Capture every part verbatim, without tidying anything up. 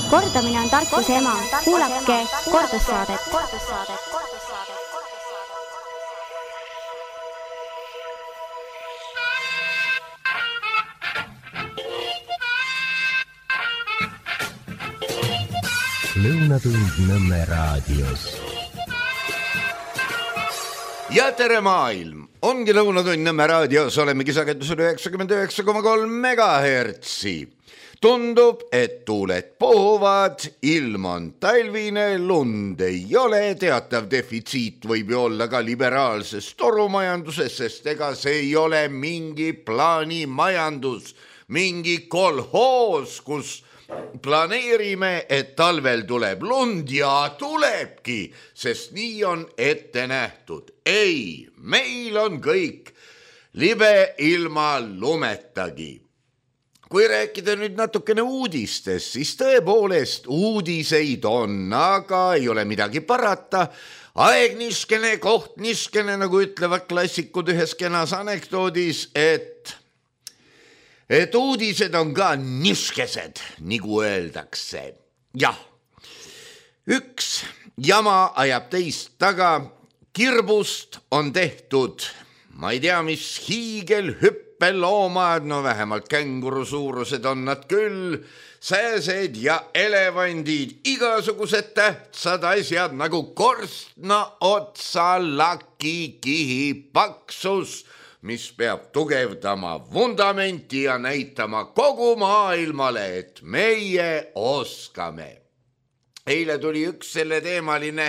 Kordamine on tarkuse ema. Kuulake kordussaadet. Lõunatund Nõmme raadios. Ja tere maailm! Ongi Lõunatund Nõmme raadios, olemegi sagedusel üheksakümmend üheksa koma kolm megahertsi. Tundub, et tuuled puhuvad, ilm on talvine, lund ei ole, teatav defitsiit võib ju olla ka liberaalses torumajanduses, sest ega see ei ole mingi plaanimajandus, mingi kolhoos, kus planeerime, et talvel tuleb lund ja tulebki, sest nii on ette nähtud. Ei, meil on kõik libe ilma lumetagi. Kui rääkida nüüd natukene uudistest, siis tõepoolest uudiseid on, aga ei ole midagi parata. Aeg niskene, koht niskene, nagu ütlevad klassikud ühes kenas anekdoodis, et et uudised on ka niskesed, nagu öeldakse. Jah, üks jama ajab teist taga, kirbust on tehtud, ma ei tea, mis hiigelhüppeloomad, no vähemalt känguru suurused on nad küll, sääsed ja elevandid, igasugused tähtsad asjad nagu korstna otsa lakikihi paksus, mis peab tugevdama vundamenti ja näitama kogu maailmale, et meie oskame. Eile tuli üks selle teemaline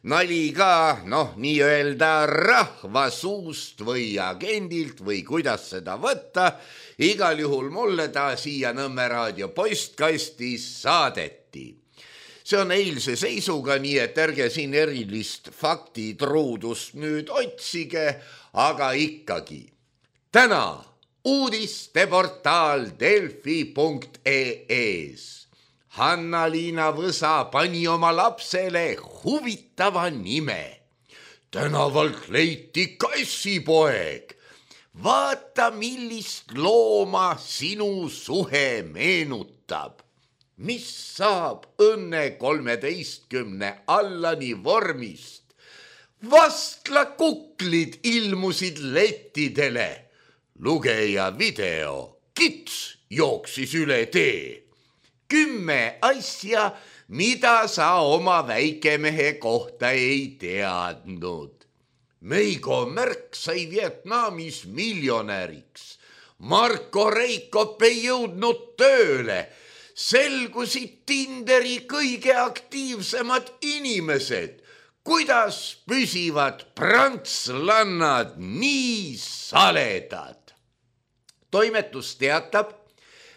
nali ka, noh, nii öelda rahva suust või agendilt või kuidas seda võtta. Igal juhul mulle ta siia Nõmme raadio postkastis saadeti. See on eilse seisuga, nii et ärge siin erilist faktitruudust nüüd otsige, aga ikkagi. Täna uudisteportaal delfi punkt ee-s. Hanna-Liina Võsa pani oma lapsele huvitava nime. Tänavalt leiti kassipoeg. Vaata, millist looma sinu suhe meenutab. Mis saab õnne kolmeteistkümne allani vormist? Vastla kuklid ilmusid lettidele. Lugeja video, kits jooksis üle tee. Kümme asja, mida sa oma väikemehe kohta ei teadnud. Meigo Märk sai Vietnamis miljonäriks. Marko Reikop ei jõudnud tööle. Selgusid Tinderi kõige aktiivsemad inimesed. Kuidas püsivad prantslannad nii saledad? Toimetus teatab,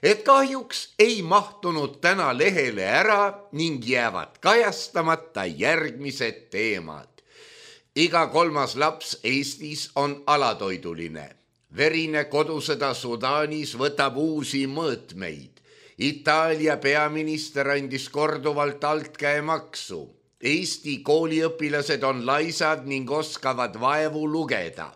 et kahjuks ei mahtunud täna lehele ära ning jäävad kajastamata järgmised teemad. Iga kolmas laps Eestis on alatoiduline. Verine kodusõda Sudaanis võtab uusi mõõtmeid. Itaalia peaminister andis korduvalt altkäemaksu. Eesti kooliõpilased on laisad ning oskavad vaevu lugeda.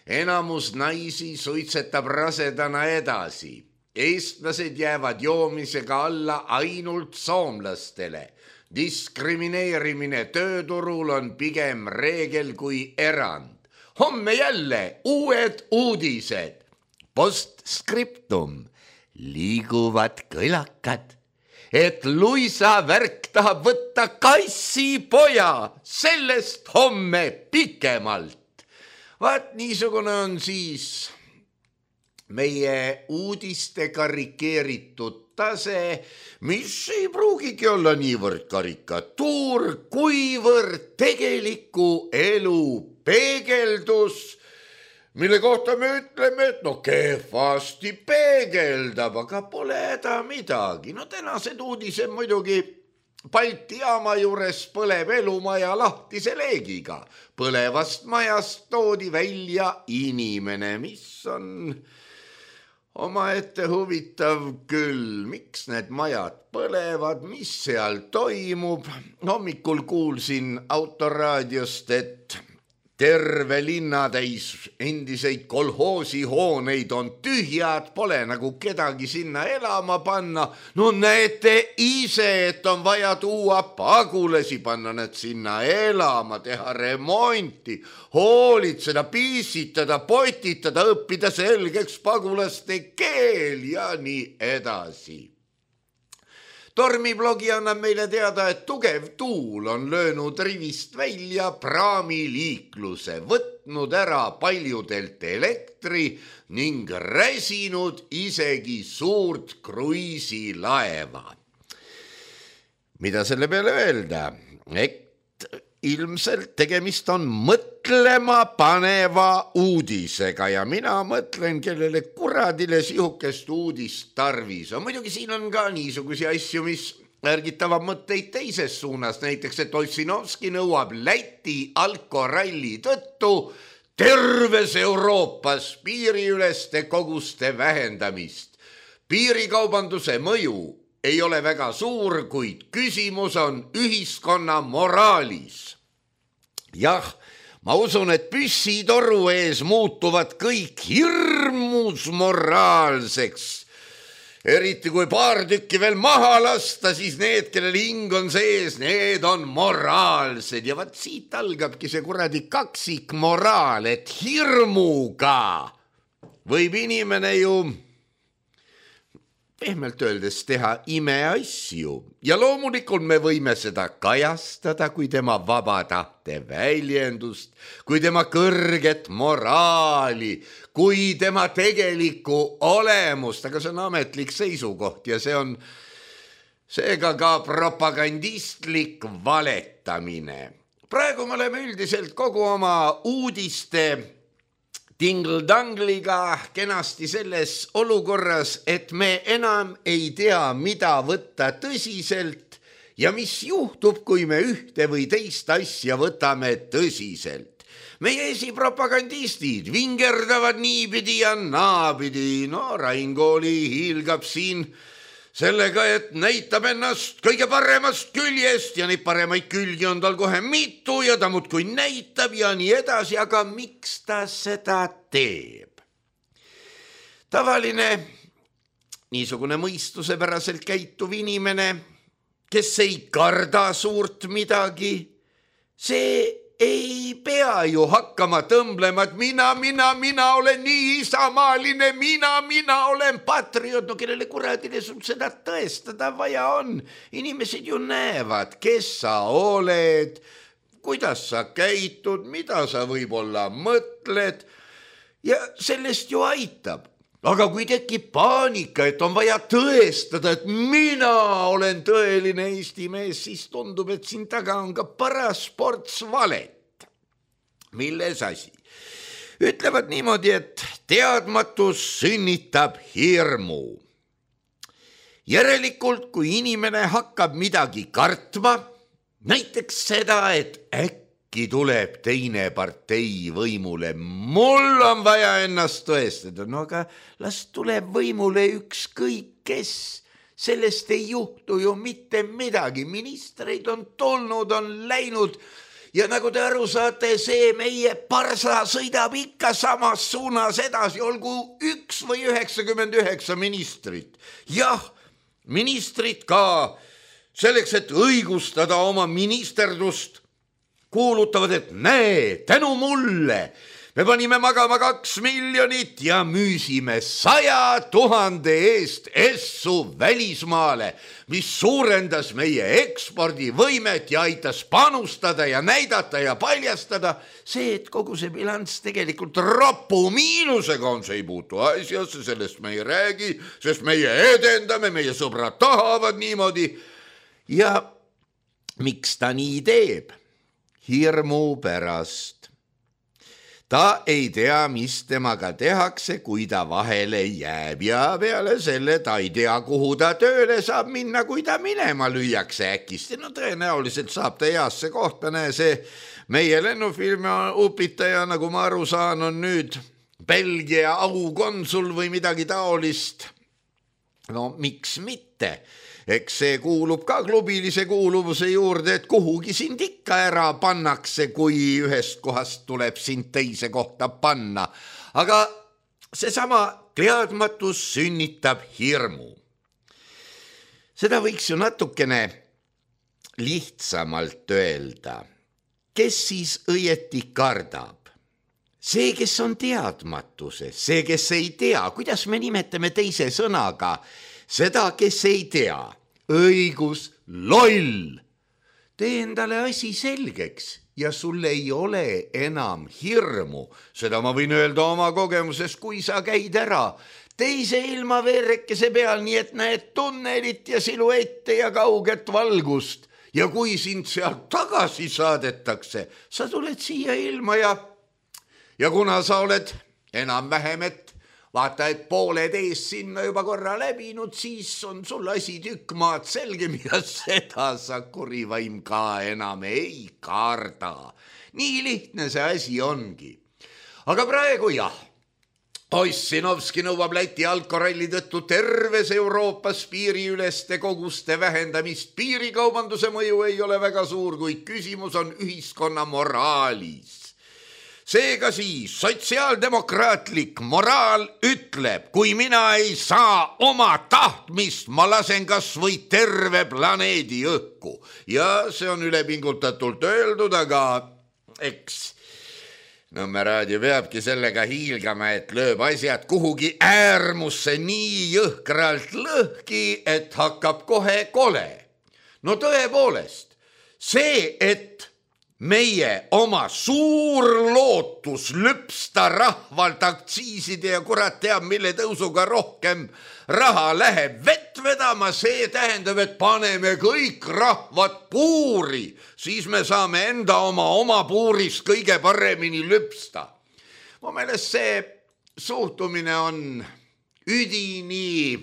Enamus naisi suitsetab rasedana edasi. Eestlased jäävad joomisega alla ainult soomlastele. Diskrimineerimine tööturul on pigem reegel kui erand. Homme jälle uued uudised. Postscriptum. Liiguvad kõlakad, et Luisa Värk tahab võtta kassipoja, sellest homme pikemalt. Vaat niisugune on siis meie uudiste karikeeritud tase, mis ei pruugigi olla niivõrd karikatuur, kuivõrd tegeliku elu peegeldus, mille kohta me ütleme, et no kehvasti peegeldab, aga pole häda midagi. No tänased uudised muidugi Balti jaama juures põleb elumaja lahtise leegiga. Põlevast majast toodi välja inimene, mis on omaette huvitav küll. Miks need majad põlevad, mis seal toimub? Hommikul kuulsin autoraadiost, et terve linnatäis endiseid kolhoosihooneid on tühjad, pole nagu kedagi sinna elama panna. No näete ise, et on vaja tuua pagulasi, panna need sinna elama, teha remonti, hoolitseda, piisitada, potitada, õppida selgeks pagulaste keel ja nii edasi. Tormiblogi annab meile teada, et tugev tuul on löönud rivist välja praamiliikluse, võtnud ära paljudelt elektri ning räsinud isegi suurt kruiisilaeva. Mida selle peale öelda? Et ilmselt tegemist on mõtlema paneva uudisega ja mina mõtlen, kellele kuradile sihukest uudist tarvis on. Muidugi siin on ka niisugusi asju, mis ärgitavad mõtteid teises suunas. Näiteks, et Ossinovski nõuab Läti alkoralli tõttu terves Euroopas piiriüleste koguste vähendamist. Piirikaubanduse mõju ei ole väga suur, kuid küsimus on ühiskonna moraalis. Jah, ma usun, et püssitoru ees muutuvad kõik hirmus moraalseks. Eriti kui paar tükki veel maha lasta, siis need, kellel hing on sees, need on moraalsed. Ja vaat siit algabki see kuradi kaksik moraal, et hirmuga võib inimene ju pehmelt öeldes teha imeasju ja loomulikult me võime seda kajastada kui tema vaba tahte väljendust, kui tema kõrget moraali, kui tema tegelikku olemust, aga see on ametlik seisukoht ja see on seega ka propagandistlik valetamine. Praegu me oleme üldiselt kogu oma uudiste tingldangliga kenasti selles olukorras, et me enam ei tea, mida võtta tõsiselt ja mis juhtub, kui me ühte või teist asja võtame tõsiselt. Meie esipropagandistid vingerdavad niipidi ja naapidi. No Rain Kooli hiilgab siin sellega, et näitab ennast kõige paremast küljest ja neid paremaid külgi on tal kohe mitu ja ta muudkui näitab ja nii edasi, aga miks ta seda teeb? Tavaline, niisugune mõistusepäraselt käituv inimene, kes ei karda suurt midagi, see ei pea ju hakkama tõmblema, et mina, mina, mina olen nii isamaaline, mina, mina olen patriot. No kellele kuradile sul seda tõestada vaja on? Inimesed ju näevad, kes sa oled, kuidas sa käitud, mida sa võib-olla mõtled ja sellest ju aitab. Aga kui tekib paanika, et on vaja tõestada, et mina olen tõeline Eesti mees, siis tundub, et siin taga on ka paras ports valet. Milles asi? Ütlevad niimoodi, et teadmatus sünnitab hirmu. Järelikult, kui inimene hakkab midagi kartma, näiteks seda, et äkki tuleb teine partei võimule, mul on vaja ennast tõestada, no aga las tuleb võimule ükskõik kes, sellest ei juhtu ju mitte midagi, ministreid on tulnud, on läinud ja nagu te aru saate, see meie parsa sõidab ikka samas suunas edasi, olgu üks või üheksakümmend üheksa ministrit. Jah, ministrid ka selleks, et õigustada oma ministerdust, kuulutavad, et näe, tänu mulle me panime magama kaks miljonit ja müüsime saja tuhande eest essu välismaale, mis suurendas meie ekspordivõimet ja aitas panustada ja näidata ja paljastada. See, et kogu see bilanss tegelikult ropu miinusega on, see ei puutu asjasse, sellest me ei räägi, sest meie edendame, meie sõbrad tahavad niimoodi. Ja miks ta nii teeb? Hirmu pärast. Ta ei tea, mis temaga tehakse, kui ta vahele jääb ja peale selle ta ei tea, kuhu ta tööle saab minna, kui ta minema lüüakse äkist. No tõenäoliselt saab ta heasse kohta, näe see meie lennufilmi upitaja, nagu ma aru saan, on nüüd Belgia aukonsul või midagi taolist. no miks mitte, eks see kuulub ka klubilise kuuluvuse juurde, et kuhugi sind ikka ära pannakse, kui ühest kohast tuleb sind teise kohta panna. Aga seesama teadmatus sünnitab hirmu. Seda võiks ju natukene lihtsamalt öelda. Kes siis õieti kardab? See, kes on teadmatuses, see, kes ei tea, kuidas me nimetame teise sõnaga, seda, kes ei tea, õigus, loll. Tee endale asi selgeks ja sul ei ole enam hirmu. Seda ma võin öelda oma kogemuses, kui sa käid ära teise ilma veerekese peal, nii et näed tunnelit ja siluette ja kauget valgust. Ja kui sind sealt tagasi saadetakse, sa tuled siia ilma ja Ja kuna sa oled enam vähem, et vaata, et pooled ees sinna juba korra läbinud, siis on sul asi tükk maad selgem ja seda sa kurivaim ka enam ei karda. Nii lihtne see asi ongi. Aga praegu jah, Ossinovski nõuab Läti alkoralli tõttu terves Euroopas piiriüleste koguste vähendamist. Piirikaubanduse mõju ei ole väga suur, kuid küsimus on ühiskonna moraalis. Seega siis sotsiaaldemokraatlik moraal ütleb, kui mina ei saa oma tahtmist, ma lasen kas või terve planeedi õhku. Ja see on ülepingutatult öeldud, aga eks Nõmme raadio peabki sellega hiilgama, et lööb asjad kuhugi äärmusse nii jõhkralt lõhki, et hakkab kohe kole. No tõepoolest, see, et meie oma suur lootus lüpsta rahvalt aktsiiside ja kurat teab, mille tõusuga rohkem raha läheb vett vedama, see tähendab, et paneme kõik rahvad puuri, siis me saame enda oma oma puurist kõige paremini lüpsta. Mu meelest see suhtumine on üdini,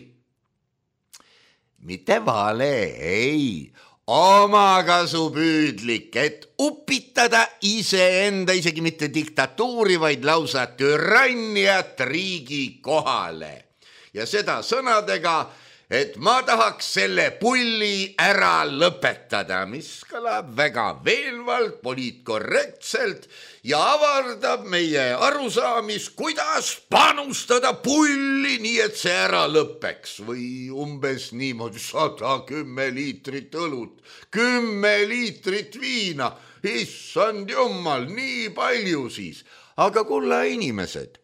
mitte vale, ei, omakasupüüdlik, et upitada iseenda, isegi mitte diktatuuri, vaid lausa türanniat riigi kohale. Ja seda sõnadega, et ma tahaks selle pulli ära lõpetada, mis kõlab väga veenvalt, poliitkorrektselt ja avardab meie arusaamis, kuidas panustada pulli, nii et see ära lõpeks. Või umbes niimoodi sada kümme liitrit õlut, kümme liitrit viina, issand jumal, nii palju siis. Aga kulla inimesed,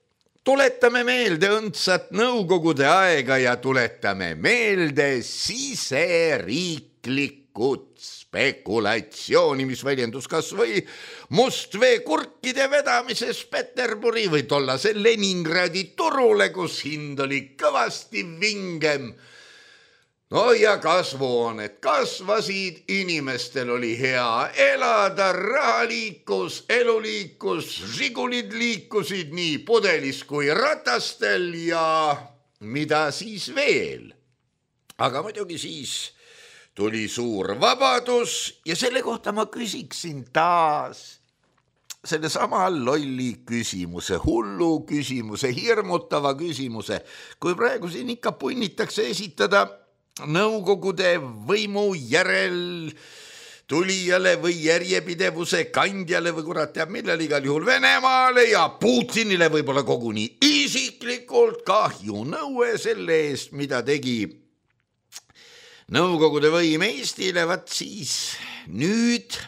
tuletame meelde õndsat nõukogude aega ja tuletame meelde siseriiklikud spekulatsiooni, mis väljendus kas või mustveekurkide vedamises Peterburi või tollase Leningradi turule, kus hind oli kõvasti vingem. No ja kasvuhooned kasvasid, inimestel oli hea elada, raha liikus, elu liikus, žigulid liikusid nii pudelis kui ratastel ja mida siis veel. Aga muidugi siis tuli suur vabadus ja selle kohta ma küsiksin taas selle sama lolli küsimuse, hullu küsimuse, hirmutava küsimuse, kui praegu siin ikka punnitakse esitada nõukogude võimu järel tulijale või järjepidevuse kandjale või kurat teab millal, igal juhul Venemaale ja Putinile võib-olla koguni isiklikult kahju nõue selle eest, mida tegi nõukogude võim Eestile. Vat siis nüüd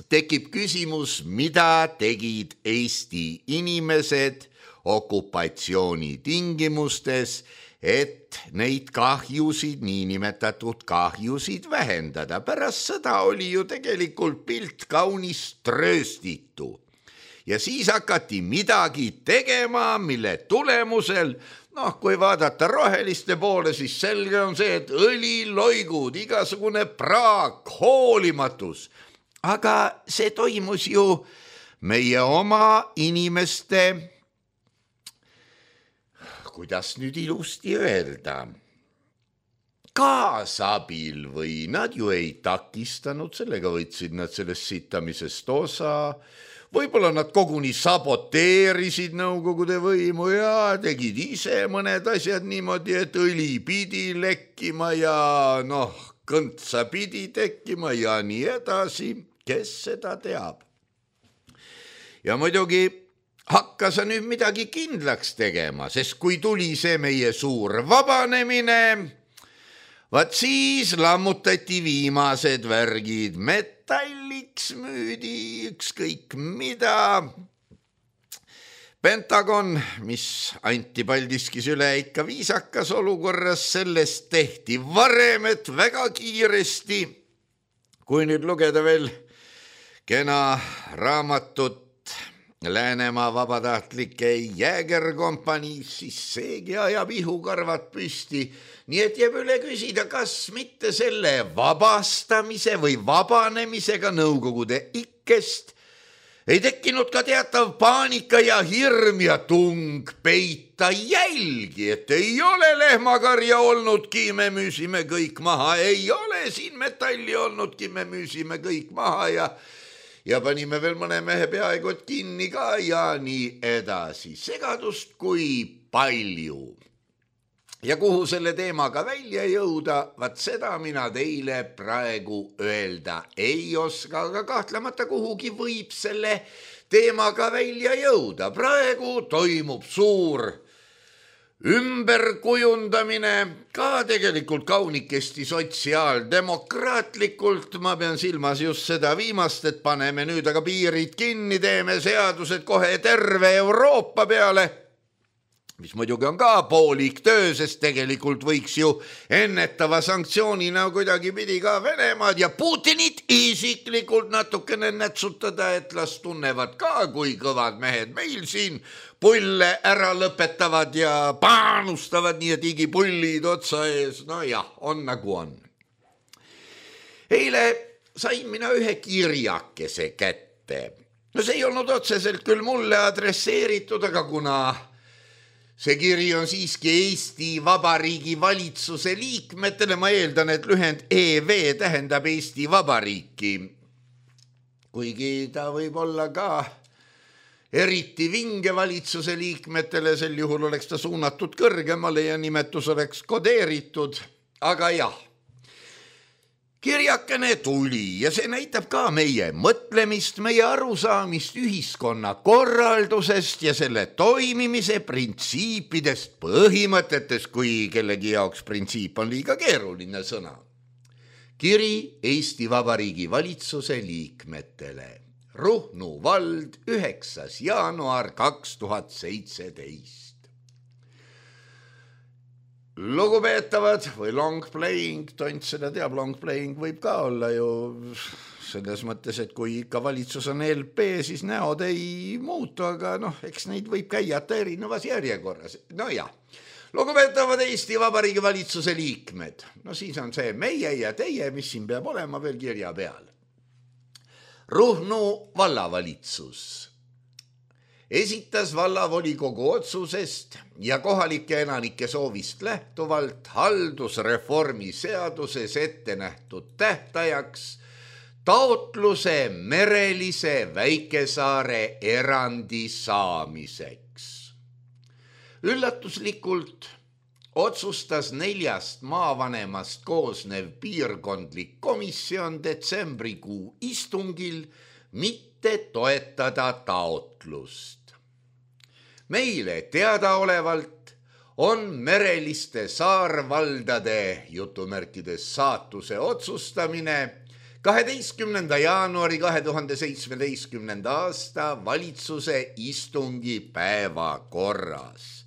tekib küsimus, mida tegid Eesti inimesed okupatsiooni tingimustes, et neid kahjusid, niinimetatud kahjusid vähendada. Pärast seda oli ju tegelikult pilt kaunis trööstitu. Ja siis hakati midagi tegema, mille tulemusel, noh, kui vaadata roheliste poole, siis selge on see, et õliloigud, igasugune praak, hoolimatus. Aga see toimus ju meie oma inimeste, kuidas nüüd ilusti öelda, kaasabil või nad ju ei takistanud, sellega võtsid nad sellest sitamisest osa, võib-olla nad koguni saboteerisid Nõukogude võimu ja tegid ise mõned asjad niimoodi, et õli pidi lekkima ja noh, kõntsa pidi tekkima ja nii edasi, kes seda teab. Ja muidugi hakkas nüüd midagi kindlaks tegema, sest kui tuli see meie suur vabanemine, vaat siis lammutati viimased värgid, metalliks müüdi ükskõik mida. Pentagon, mis anti Paldiskis üle ikka viisakas olukorras, sellest tehti varem, et väga kiiresti, kui nüüd lugeda veel kena raamatut Läänemaa vabatahtlike jäägerkompanii, siis seegi ajab ihukarvad püsti. Nii et jääb üle küsida, kas mitte selle vabastamise või vabanemisega Nõukogude ikkest ei tekkinud ka teatav paanika ja hirm ja tung peita jälgi, et ei ole lehmakarja olnudki, me müüsime kõik maha, ei ole siin metalli olnudki, me müüsime kõik maha ja Ja panime veel mõne mehe peaaegu kinni ka ja nii edasi. Segadust kui palju. Ja kuhu selle teemaga välja jõuda, vaat seda mina teile praegu öelda ei oska, aga kahtlemata kuhugi võib selle teemaga välja jõuda. Praegu toimub suur ümberkujundamine, ka tegelikult kaunikesti sotsiaaldemokraatlikult, ma pean silmas just seda viimast, et paneme nüüd aga piirid kinni, teeme seadused kohe terve Euroopa peale, mis muidugi on ka poolik töö, sest tegelikult võiks ju ennetava sanktsioonina kuidagi pidi ka Venemaad ja Putinit isiklikult natukene nätsutada, et las tunnevad ka, kui kõvad mehed meil siin pulle ära lõpetavad ja paanustavad nii, et igipullid otsa ees. No jah, on nagu on. Eile sain mina ühe kirjakese kätte. No see ei olnud otseselt küll mulle adresseeritud, aga kuna see kiri on siiski Eesti Vabariigi valitsuse liikmetele, ma eeldan, et lühend E V tähendab Eesti Vabariiki. Kuigi ta võib olla ka eriti vinge valitsuse liikmetele, sel juhul oleks ta suunatud kõrgemale ja nimetus oleks kodeeritud, aga jah. Kirjakene tuli ja see näitab ka meie mõtlemist, meie arusaamist ühiskonna korraldusest ja selle toimimise printsiipidest, põhimõtetest, kui kellegi jaoks printsiip on liiga keeruline sõna. Kiri Eesti Vabariigi valitsuse liikmetele. Ruhnu vald, üheksas jaanuar kaks tuhat seitseteist. Lugupeetavad või long playing, tont seda teab, long playing võib ka olla ju selles mõttes, et kui ikka valitsus on L P, siis näod ei muutu, aga noh, eks neid võib käiata erinevas järjekorras. No jah, lugupeetavad Eesti Vabariigi valitsuse liikmed, no siis on see meie ja teie, mis siin peab olema veel kirja peal. Ruhnu vallavalitsus esitas vallavolikogu otsusest ja kohalike elanike soovist lähtuvalt haldusreformi seaduses ette nähtud tähtajaks taotluse merelise väikesaare erandi saamiseks. Üllatuslikult otsustas neljast maavanemast koosnev piirkondlik komisjon detsembrikuu istungil mitte toetada taotlust. Meile teadaolevalt on mereliste saarvaldade jutumärkides saatuse otsustamine kaheteistkümnenda jaanuari kahe tuhande seitsmeteistkümnenda aasta valitsuse istungi päevakorras,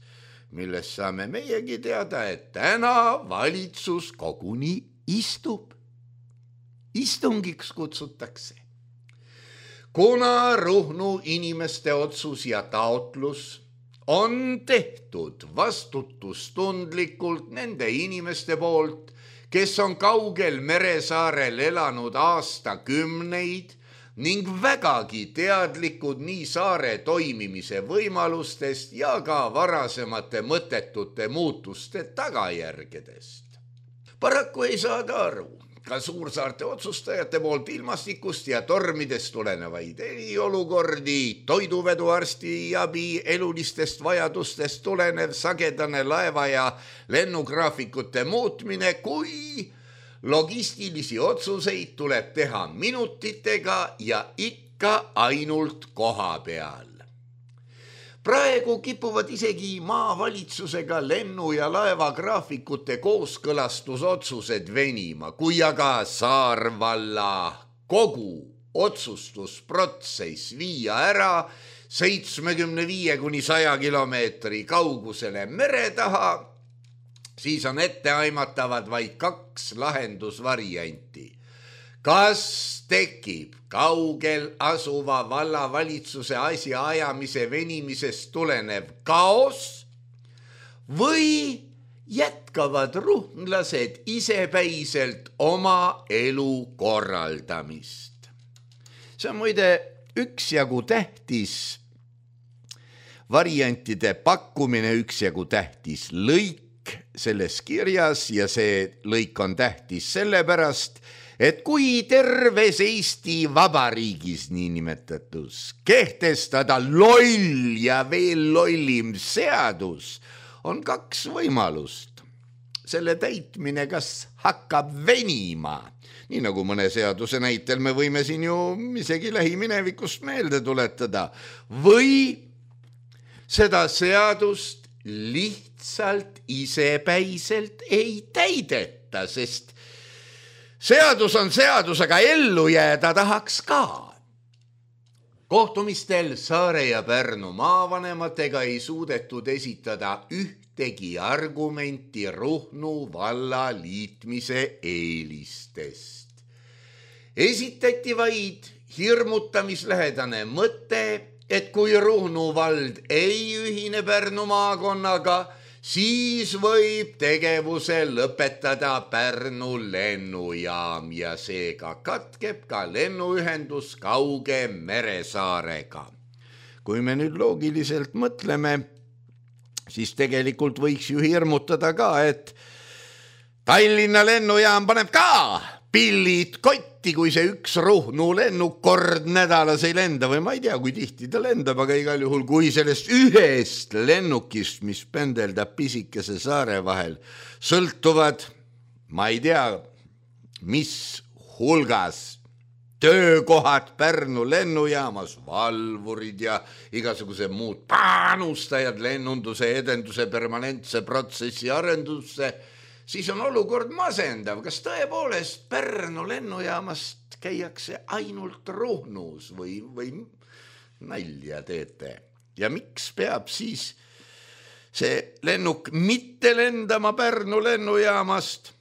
millest saame meiegi teada, et täna valitsus koguni istub. Istungiks kutsutakse. Kuna Ruhnu inimeste otsus ja taotlus on tehtud vastutustundlikult nende inimeste poolt, kes on kaugel meresaarel elanud aastakümneid ning vägagi teadlikud nii saare toimimise võimalustest ja ka varasemate mõttetute muutuste tagajärgedest. Paraku ei saada aru, ka suursaarte otsustajate poolt ilmastikust ja tormidest tulenevaid eriolukordi, toiduveduarsti abi elulistest vajadustest tulenev sagedane laeva ja lennugraafikute muutmine, kui logistilisi otsuseid tuleb teha minutitega ja ikka ainult koha peal. Praegu kipuvad isegi maavalitsusega lennu- ja laevagraafikute kooskõlastusotsused venima, kui aga Saarvalla kogu otsustusprotsess viia ära seitsmekümne viie kuni saja kilomeetri kaugusele mere taha, siis on etteaimatavad vaid kaks lahendusvarianti. Kas tekib kaugel asuva vallavalitsuse asja ajamise venimisest tulenev kaos või jätkavad ruhnlased isepäiselt oma elu korraldamist? See on muide üksjagu tähtis variantide pakkumine, üksjagu tähtis lõik selles kirjas ja see lõik on tähtis sellepärast, et kui terves Eesti Vabariigis niinimetatus kehtestada loll ja veel lollim seadus, on kaks võimalust. Selle täitmine kas hakkab venima, nii nagu mõne seaduse näitel me võime siin ju isegi lähiminevikust meelde tuletada, või seda seadust lihtsalt isepäiselt ei täideta, sest seadus on seadus, aga ellu jääda tahaks ka. Kohtumistel Saare ja Pärnu maavanematega ei suudetud esitada ühtegi argumenti Ruhnu valla liitmise eelistest. Esitati vaid hirmutamislähedane mõte, et kui Ruhnu vald ei ühine Pärnu maakonnaga, siis võib tegevuse lõpetada Pärnu lennujaam ja seega katkeb ka lennuühendus kauge Meresaarega. Kui me nüüd loogiliselt mõtleme, siis tegelikult võiks ju hirmutada ka, et Tallinna lennujaam paneb ka pillid kotti, kui see üks Ruhnu lennuk kord nädalas ei lenda või ma ei tea, kui tihti ta lendab, aga igal juhul, kui sellest ühest lennukist, mis pendeldab pisikese saare vahel, sõltuvad, ma ei tea, mis hulgas töökohad Pärnu lennujaamas, valvurid ja igasugused muud panustajad lennunduse edenduse permanentse protsessi arendusse, siis on olukord masendav. Kas tõepoolest Pärnu lennujaamast käiakse ainult Ruhnus või, või nalja teete? Ja miks peab siis see lennuk mitte lendama Pärnu lennujaamast?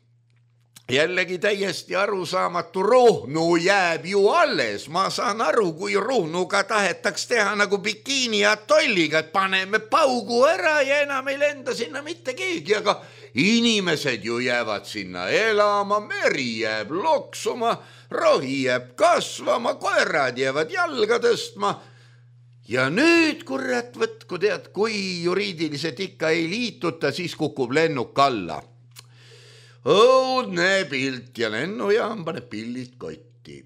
Jällegi täiesti arusaamatu, Ruhnu jääb ju alles. Ma saan aru, kui Ruhnuga tahetaks teha nagu bikiini atolliga, et paneme paugu ära ja enam ei lenda sinna mitte keegi, aga inimesed ju jäävad sinna elama, meri jääb loksuma, rohi jääb kasvama, koerad jäävad jalga tõstma. Ja nüüd, kurat, võtku tead, kui juriidiliselt ikka ei liituta, siis kukub lennuk alla. Õudne pilt ja lennujaam paneb pillid kotti.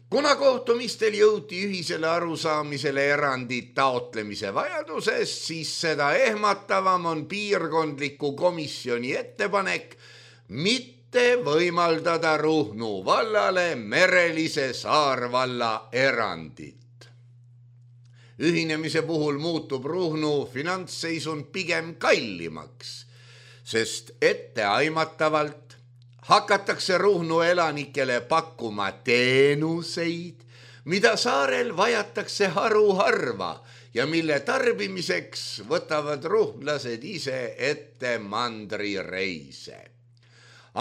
Kuna kohtumistel jõuti ühisele arusaamisele erandit taotlemise vajadusest, siis seda ehmatavam on piirkondliku komisjoni ettepanek mitte võimaldada Ruhnu vallale merelise Saarvalla erandit. Ühinemise puhul muutub Ruhnu finantsseisund pigem kallimaks, sest etteaimatavalt hakatakse Ruhnu elanikele pakkuma teenuseid, mida saarel vajatakse haruharva ja mille tarbimiseks võtavad ruhnlased ise ette mandrireise.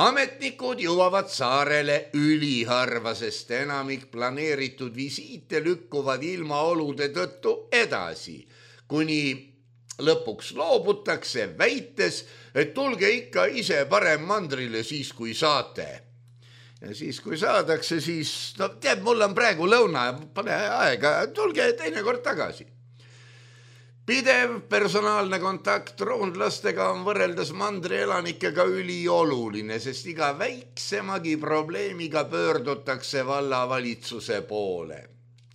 Ametnikud jõuavad saarele üliharva, sest enamik planeeritud visiite lükkuvad ilmaolude tõttu edasi, kuni lõpuks loobutakse väites, et tulge ikka ise parem mandrile siis, kui saate. Ja siis, kui saadakse, siis, no tead, mul on praegu lõuna, pane aega, tulge teine kord tagasi. Pidev personaalne kontakt roonlastega on võrreldes mandri elanikega ülioluline, sest iga väiksemagi probleemiga pöördutakse vallavalitsuse poole.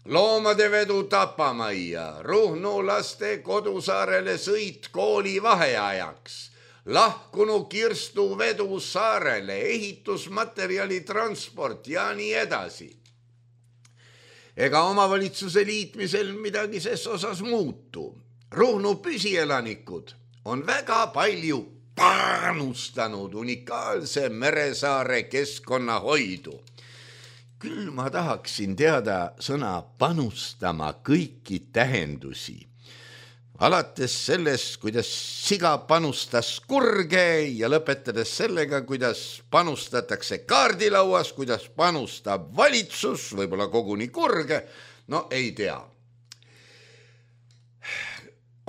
Loomade vedu Tapamajja, Ruhnu laste kodusaarele sõit kooli vaheajaks, lahkunu Kirstu vedu saarele, ehitusmaterjali transport ja nii edasi. Ega omavalitsuse liitmisel midagi ses osas muutu. Ruhnu püsielanikud on väga palju panustanud unikaalse Meresaare keskkonnahoidu. Küll ma tahaksin teada sõna panustama kõiki tähendusi. Alates sellest, kuidas siga panustas kurge ja lõpetades sellega, kuidas panustatakse kaardilauas, kuidas panustab valitsus, võib-olla koguni kurge, no ei tea.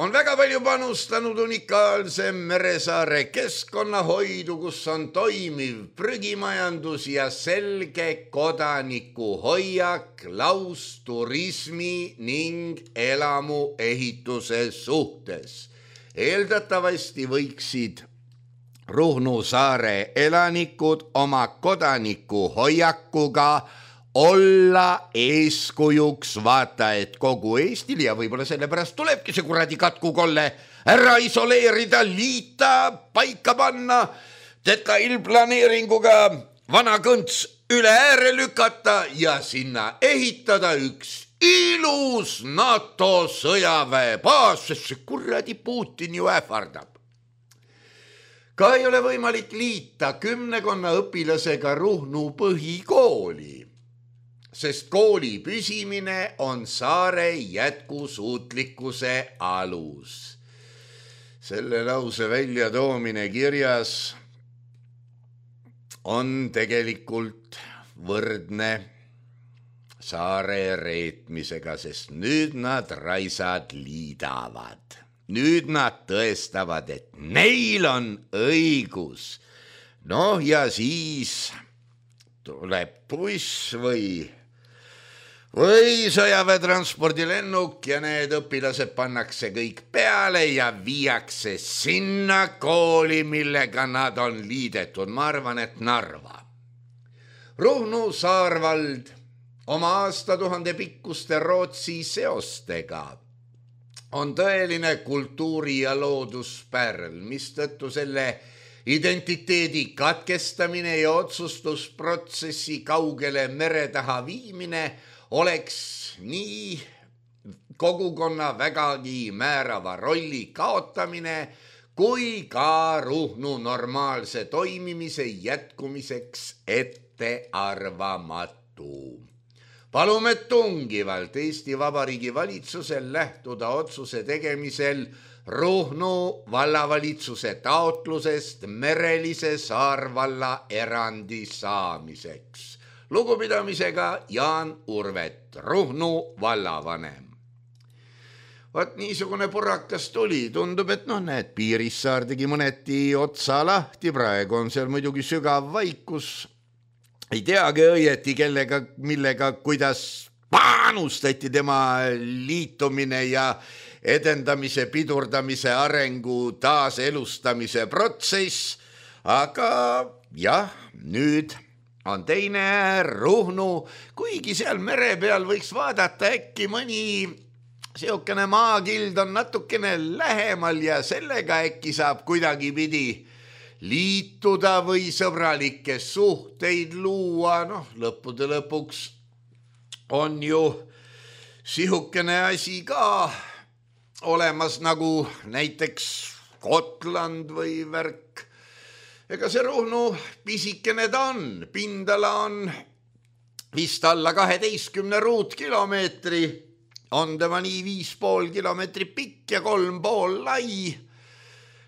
On väga palju panustanud unikaalse Meresaare keskkonnahoidu, kus on toimiv prügimajandus ja selge kodaniku hoiak lausturismi ning elamu ehituse suhtes. Eeldatavasti võiksid Ruhnu saare elanikud oma kodaniku hoiakuga olla eeskujuks vaata, et kogu Eestil ja võib-olla sellepärast tulebki see kuradi katkukolle ära isoleerida, liita, paika panna, detailplaneeringuga vana kõnts üle ääre lükata ja sinna ehitada üks ilus NATO sõjaväebaas, sest see kuradi Putin ju ähvardab. Ka ei ole võimalik liita kümnekonna õpilasega Ruhnu põhikooli, sest kooli püsimine on saare jätkusuutlikkuse alus. Selle lause väljatoomine kirjas on tegelikult võrdne saare reetmisega, sest nüüd nad raisad liidavad. Nüüd nad tõestavad, et neil on õigus. Noh ja siis tuleb buss või Või sõjaväetranspordilennuk ja need õpilased pannakse kõik peale ja viiakse sinna kooli, millega nad on liidetud. Ma arvan, et Narva. Ruhnu saarvald oma aastatuhande pikkuste Rootsi seostega on tõeline kultuuri- ja looduspärl, mistõttu selle identiteedi katkestamine ja otsustusprotsessi kaugele mere taha viimine oleks nii kogukonna vägagi määrava rolli kaotamine kui ka Ruhnu normaalse toimimise jätkumiseks ettearvamatu. Palume tungivalt Eesti Vabariigi valitsusel lähtuda otsuse tegemisel Ruhnu vallavalitsuse taotlusest merelise saarvalla erandi saamiseks. Lugupidamisega Jaan Urvet, Ruhnu vallavanem. Vaat niisugune purakas tuli, tundub, et noh, näed, Piirissaar tegi mõneti otsa lahti, praegu on seal muidugi sügav vaikus. Ei teagi õieti, kellega, millega, kuidas panustati tema liitumine ja edendamise, pidurdamise, arengu, taaselustamise protsess, aga jah, nüüd on teine Ruhnu, kuigi seal mere peal võiks vaadata äkki mõni seokene maakild on natukene lähemal ja sellega äkki saab kuidagi pidi liituda või sõbralikke suhteid luua. Noh, lõppude lõpuks on ju sihukene asi ka olemas nagu näiteks Gotland või värk. Ega see Ruhnu pisikene ta on, pindala on vist alla kaheteistkümne ruutkilomeetri, on tema nii viis pool kilomeetri pikk ja kolm pool lai.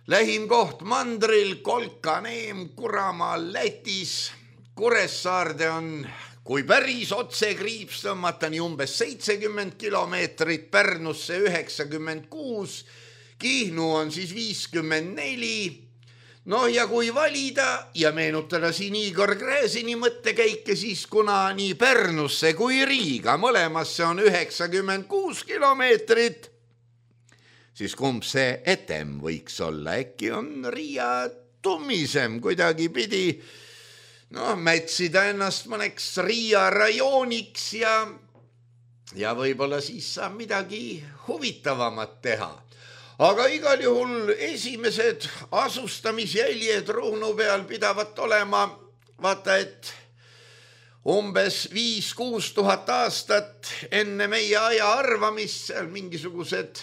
Lähim koht mandril Kolkaneem Kuramaa Lätis, Kuressaarde on, kui päris otse kriips tõmmata, nii umbes seitsekümmend kilomeetrit, Pärnusse üheksakümmend kuus, Kihnu on siis viiskümmend neli. No ja kui valida ja meenutada siin Igor Gräzini mõttekäike, siis kuna nii Pärnusse kui Riiga mõlemasse on üheksakümmend kuus kilomeetrit, siis kumb see etem võiks olla, äkki on Riia tummisem kuidagi pidi noh, mätsida ennast mõneks Riia rajooniks ja, ja võib-olla siis saab midagi huvitavamat teha. Aga igal juhul esimesed asustamisjäljed Ruhnu peal pidavat olema, vaata, et umbes viis kuus tuhat aastat enne meie aja arvamist seal mingisugused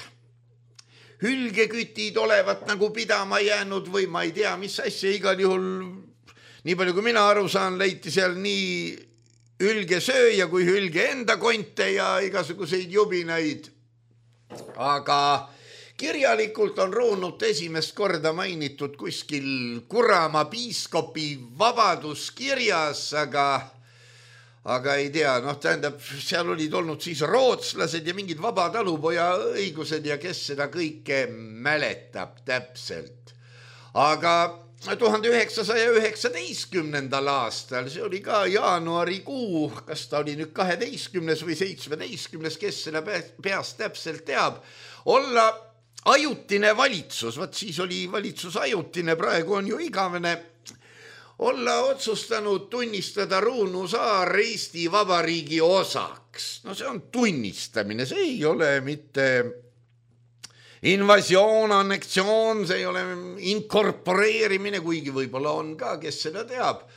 hülgekütid olevat nagu pidama jäänud või ma ei tea, mis asja, igal juhul nii palju kui mina aru saan, leiti seal nii hülgesööja kui hülge enda konte ja igasuguseid jubinaid. Aga kirjalikult on Ruhnut esimest korda mainitud kuskil Kuramaa piiskopi vabaduskirjas, aga, aga ei tea, noh tähendab, seal olid olnud siis rootslased ja mingid vabatalupoja õigused ja kes seda kõike mäletab täpselt. Aga tuhande üheksasaja üheksateistkümnendal aastal, see oli ka jaanuarikuu, kas ta oli nüüd kaheteistkümnes või seitsmeteistkümnes, kes seda peast täpselt teab, olla ajutine valitsus, vaat siis oli valitsus ajutine, praegu on ju igavene, olla otsustanud tunnistada Ruhnu saar Eesti Vabariigi osaks. No see on tunnistamine, see ei ole mitte invasioon, anneksioon, see ei ole inkorporeerimine, kuigi võib-olla on ka, kes seda teab.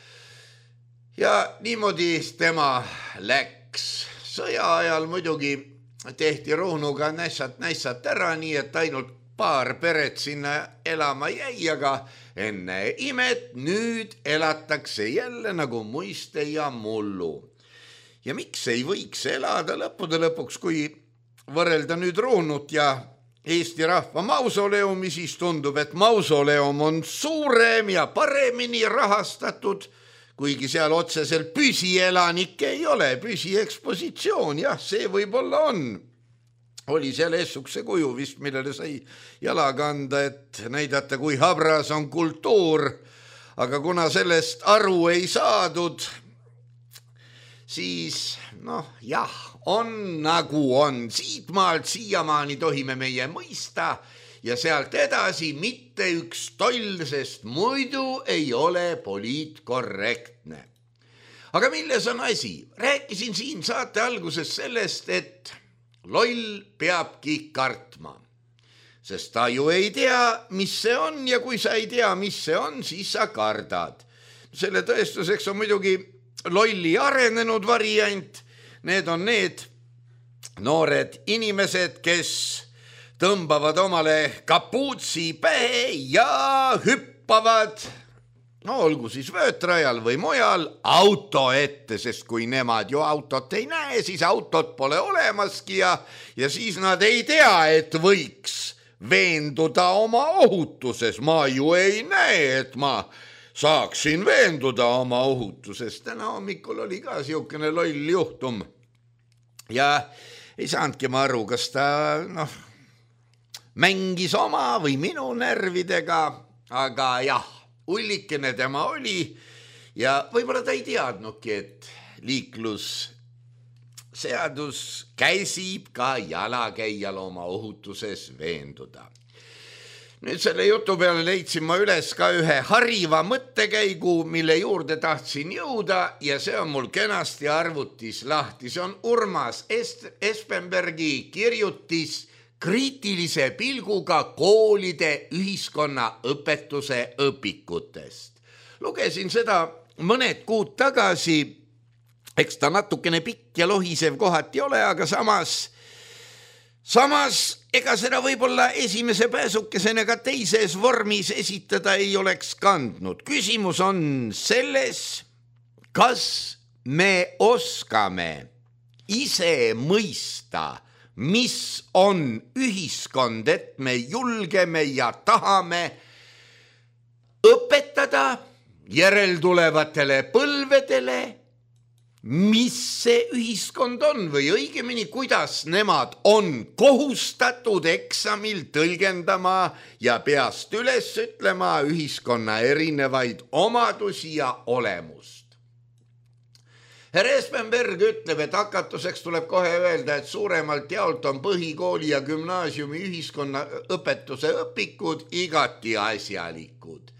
Ja niimoodi tema läks. Sõja ajal muidugi tehti Ruhnuga nässat-nässat ära, nii et ainult paar peret sinna elama jäi, aga enne imet nüüd elatakse jälle nagu muiste ja mullu. Ja miks ei võiks elada lõppude lõpuks, kui võrrelda nüüd Ruhnut ja Eesti rahva mausoleumi, siis tundub, et mausoleum on suurem ja paremini rahastatud, kuigi seal otseselt püsielanikke ei ole, püsiekspositsioon, jah, see võib-olla on. Oli seal eessukse kuju vist, millele sai jala kanda, et näidata, kui habras on kultuur, aga kuna sellest aru ei saadud, siis noh, jah, on nagu on. Siit maalt siiamaani tohime meie mõista ja sealt edasi mitte üks toll, sest muidu ei ole poliitkorrektne. Aga milles on asi? Rääkisin siin saate alguses sellest, et loll peabki kartma, sest ta ju ei tea, mis see on ja kui sa ei tea, mis see on, siis sa kardad. Selle tõestuseks on muidugi lolli arenenud variant. Need on need noored inimesed, kes tõmbavad omale kapuutsi pähe ja hüppavad, no olgu siis vöötrajal või mujal, auto ette, sest kui nemad ju autot ei näe, siis autot pole olemaski ja, ja siis nad ei tea, et võiks veenduda oma ohutuses. Ma ju ei näe, et ma saaksin veenduda oma ohutuses. Täna hommikul oli ka siukene loll juhtum ja ei saanudki ma aru, kas ta noh, mängis oma või minu närvidega, aga jah, ullikene tema oli ja võib-olla ta ei teadnudki, et liiklusseadus käsib ka jalakäijal oma ohutuses veenduda. Nüüd selle jutu peale leidsin ma üles ka ühe hariva mõttekäigu, mille juurde tahtsin jõuda ja see on mul kenasti arvutis lahti. See on Urmas Espenbergi kirjutis kriitilise pilguga koolide ühiskonnaõpetuse õpikutest. Lugesin seda mõned kuud tagasi, eks ta natukene pikk ja lohisev kohati ole, aga samas, samas ega seda võib-olla esimese pääsukesena ka teises vormis esitada ei oleks kandnud. Küsimus on selles, kas me oskame ise mõista, mis on ühiskond, et me julgeme ja tahame õpetada järeltulevatele põlvedele, mis see ühiskond on või õigemini, kuidas nemad on kohustatud eksamil tõlgendama ja peast üles ütlema ühiskonna erinevaid omadusi ja olemust. Herr Espenberg ütleb, et hakatuseks tuleb kohe öelda, et suuremalt jaolt on põhikooli ja gümnaasiumi ühiskonna õpetuse õpikud igati asjalikud.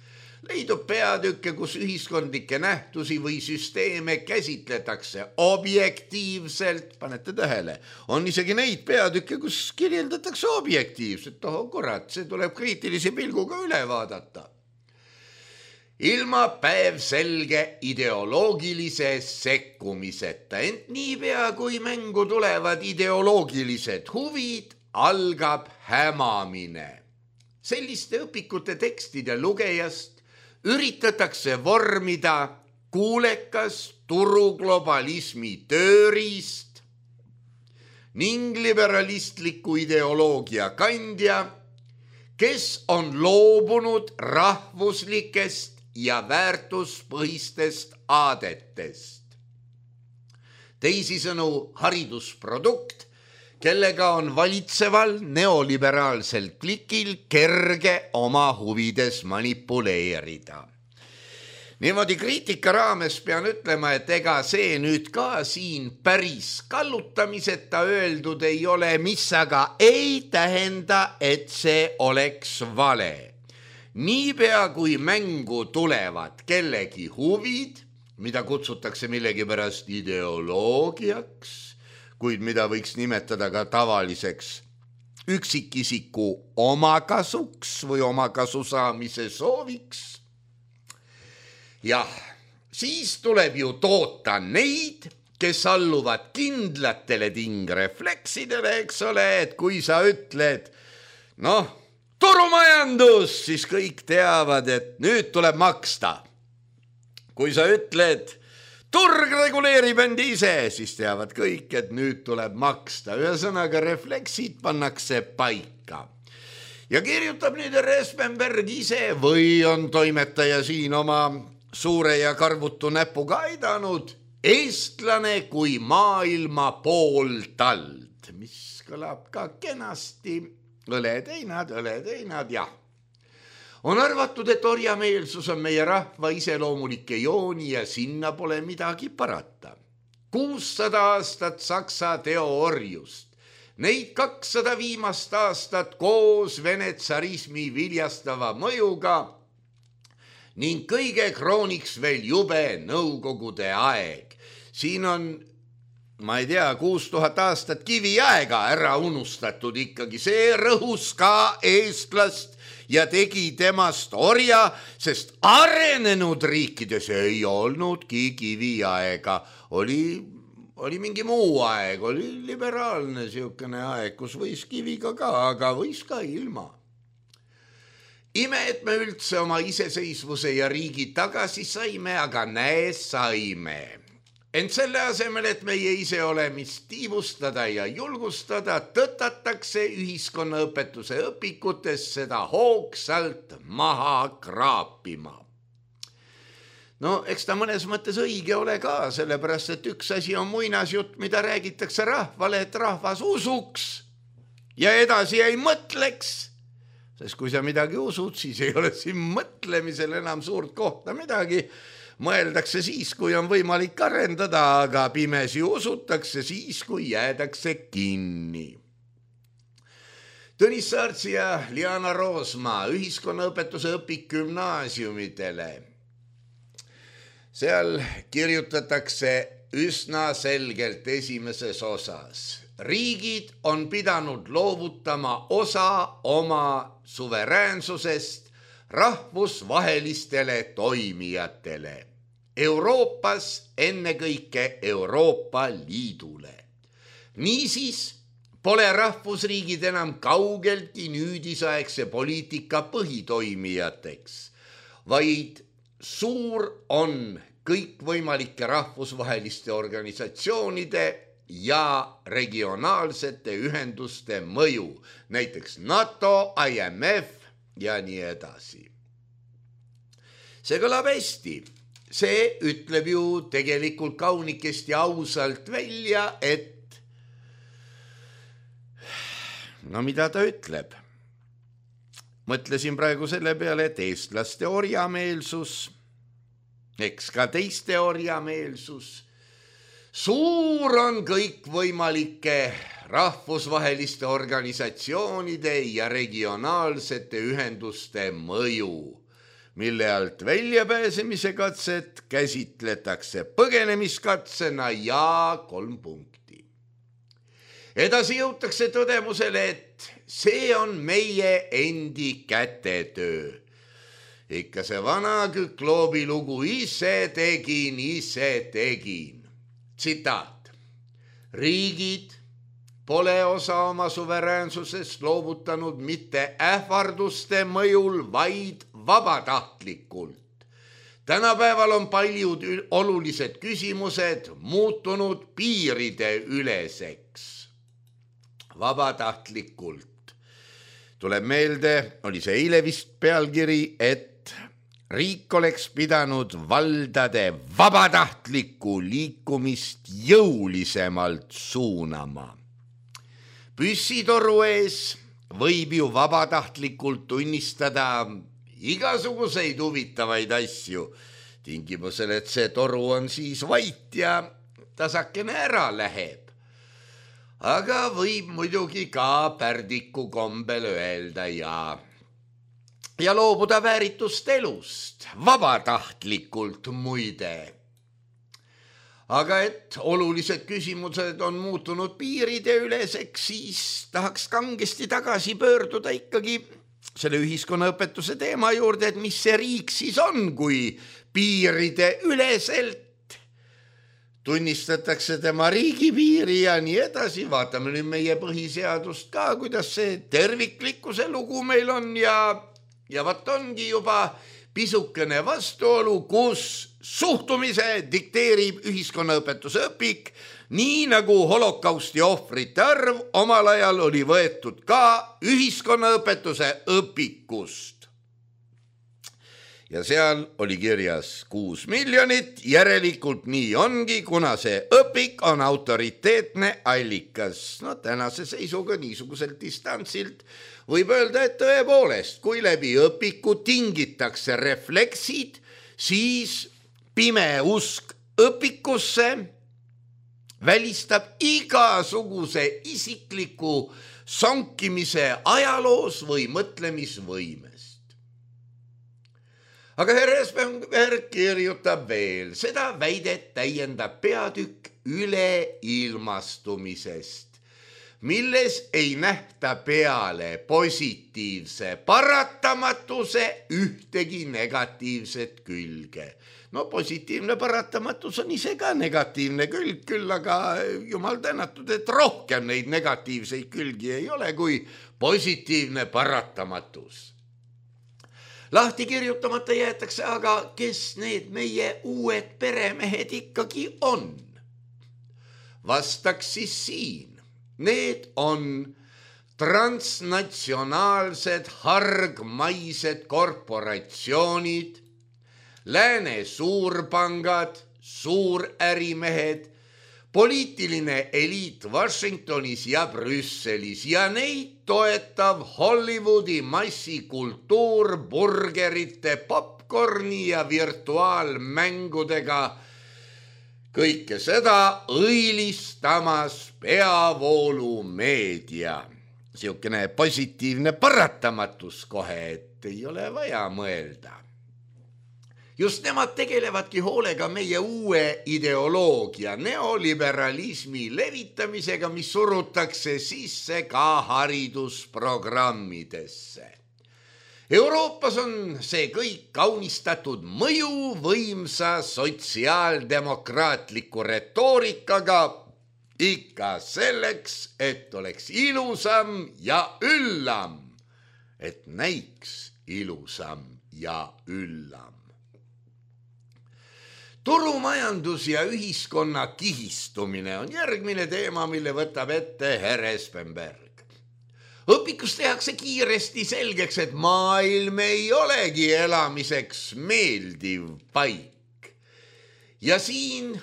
Leidub peatükke, kus ühiskondlikke nähtusi või süsteeme käsitletakse objektiivselt, panete tähele, on isegi neid peatükke, kus kirjeldatakse objektiivselt, oh kurat, see tuleb kriitilise pilguga üle vaadata. Ilma päev selge ideoloogilise sekkumiseta, ent niipea kui mängu tulevad ideoloogilised huvid, algab hämamine. Selliste õpikute tekstide lugejast üritatakse vormida kuulekas turuglobalismi tööriist ning liberalistliku ideoloogia kandja, kes on loobunud rahvuslikest ja väärtuspõhistest aadetest. Teisisõnu haridusprodukt, kellega on valitseval neoliberaalsel klikil kerge oma huvides manipuleerida. Niimoodi kriitika raames pean ütlema, et ega see nüüd ka siin päris kallutamiseta öeldud ei ole, mis aga ei tähenda, et see oleks vale. Niipea kui mängu tulevad kellegi huvid, mida kutsutakse millegipärast ideoloogiaks, kuid mida võiks nimetada ka tavaliseks üksikisiku omakasuks või omakasu saamise sooviks. Jah, siis tuleb ju toota neid, kes alluvad kindlatele tingrefleksidele, eks ole, et kui sa ütled, noh, turumajandus, siis kõik teavad, et nüüd tuleb maksta. Kui sa ütled, turg reguleerib end ise, siis teavad kõik, et nüüd tuleb maksta. Ühesõnaga refleksid pannakse paika. Ja kirjutab nüüd Espenberg ise või on toimetaja siin oma suure ja karvutu näpuga aidanud, eestlane kui maailma pooltald, mis kõlab ka kenasti. Õleteinad, õleteinad, jah. On arvatud, et orjameelsus on meie rahva iseloomulike jooni ja sinna pole midagi parata. kuussada aastat Saksa teoorjust, neid kakssada viimast aastat koos Vene tsarismi viljastava mõjuga ning kõige krooniks veel jube nõukogude aeg. Siin on ma ei tea, kuus tuhat aastat kiviaega ära unustatud ikkagi. See rõhus ka eestlast ja tegi temast orja, sest arenenud riikides ei olnudki kiviaega. Oli, oli mingi muu aeg, oli liberaalne siukene aeg, kus võis kiviga ka, aga võis ka ilma. Ime, et me üldse oma iseseisvuse ja riigi tagasi saime, aga näe saime. Ent selle asemel, et meie ise olemist tiivustada ja julgustada, tõtatakse ühiskonnaõpetuse õpikutes seda hoogsalt maha kraapima. No, eks ta mõnes mõttes õige ole ka, sellepärast, et üks asi on muinasjutt, mida räägitakse rahvale, et rahvas usuks ja edasi ei mõtleks. Sest kui sa midagi usud, siis ei ole siin mõtlemisel enam suurt kohta midagi. Mõeldakse siis, kui on võimalik arendada, aga pimesi usutakse siis, kui jäädakse kinni. Tõnis Saartsi ja Liana Roosma ühiskonnaõpetuse õpik gümnaasiumidele. Seal kirjutatakse üsna selgelt esimeses osas. Riigid on pidanud loovutama osa oma suveräänsusest rahvusvahelistele toimijatele. Euroopas ennekõike Euroopa Liidule. Niisiis pole rahvusriigid enam kaugeltki nüüdisaegse poliitika põhitoimijateks, vaid suur on kõikvõimalike rahvusvaheliste organisatsioonide ja regionaalsete ühenduste mõju, näiteks NATO, I M F ja nii edasi. See kõlab hästi. See ütleb ju tegelikult kaunikest ja ausalt välja, et no mida ta ütleb? Mõtlesin praegu selle peale, et eestlaste orjameelsus, eks ka teiste orjameelsus, suur on kõikvõimalike rahvusvaheliste organisatsioonide ja regionaalsete ühenduste mõju, mille alt väljapääsemise katset käsitletakse põgenemiskatsena ja kolm punkti. Edasi jõutakse tõdemusele, et see on meie endi kätetöö. Ikka see vana Kükloobi lugu ise tegin, ise tegin. Tsitaat. Riigid pole osa oma suveräänsusest loovutanud mitte ähvarduste mõjul, vaid vabatahtlikult. Tänapäeval on paljud olulised küsimused muutunud piiride üleseks. Vabatahtlikult. Tuleb meelde, oli see eile vist pealkiri, et riik oleks pidanud valdade vabatahtlikku liikumist jõulisemalt suunama. Püssitoru ees võib ju vabatahtlikult tunnistada igasuguseid huvitavaid asju, tingimusel, et see toru on siis vait ja tasakene ära läheb. Aga võib muidugi ka pärdiku kombel öelda ja, ja loobuda vääritust elust, vabatahtlikult muide. Aga et olulised küsimused on muutunud piiride üleseks, siis tahaks kangesti tagasi pöörduda ikkagi selle ühiskonnaõpetuse teema juurde, et mis see riik siis on, kui piiride üleselt tunnistatakse tema riigipiiri ja nii edasi. Vaatame nüüd meie põhiseadust ka, kuidas see terviklikkuse lugu meil on ja, ja vat ongi juba pisukene vastuolu, kus suhtumise dikteerib ühiskonnaõpetuse õpik, nii nagu holokausti ohvrite arv omal ajal oli võetud ka ühiskonnaõpetuse õpikust. Ja seal oli kirjas kuus miljonit, järelikult nii ongi, kuna see õpik on autoriteetne allikas. No tänase seisuga niisuguselt distantsilt võib öelda, et tõepoolest, kui läbi õpiku tingitakse refleksid, siis pime usk õpikusse välistab igasuguse isikliku sonkimise ajaloos või mõtlemisvõimest. Aga härra Espenberg kirjutab veel, seda väidet täiendab peatükk üleilmastumisest, milles ei nähta peale positiivse paratamatuse ühtegi negatiivset külge. No positiivne paratamatus on ise ka negatiivne külg, küll aga jumal tänatud, et rohkem neid negatiivseid külgi ei ole kui positiivne paratamatus. Lahti kirjutamata jäetakse aga, kes need meie uued peremehed ikkagi on. Vastaks siis siin. Need on transnatsionaalsed hargmaised korporatsioonid, lääne suurpangad, suurärimehed, poliitiline eliit Washingtonis ja Brüsselis ja neid toetav Hollywoodi massikultuur burgerite, popcorni ja virtuaalmängudega. Kõike seda õilistamas peavoolumeedia. Siukene positiivne paratamatus kohe, et ei ole vaja mõelda. Just nemad tegelevadki hoolega meie uue ideoloogia, neoliberalismi levitamisega, mis surutakse sisse ka haridusprogrammidesse. Euroopas on see kõik kaunistatud mõjuvõimsa sotsiaaldemokraatliku retoorikaga ikka selleks, et oleks ilusam ja üllam, et näiks ilusam ja üllam. Turumajandus ja ühiskonna kihistumine on järgmine teema, mille võtab ette härra Espenberg. Õpikus tehakse kiiresti selgeks, et maailm ei olegi elamiseks meeldiv paik. Ja siin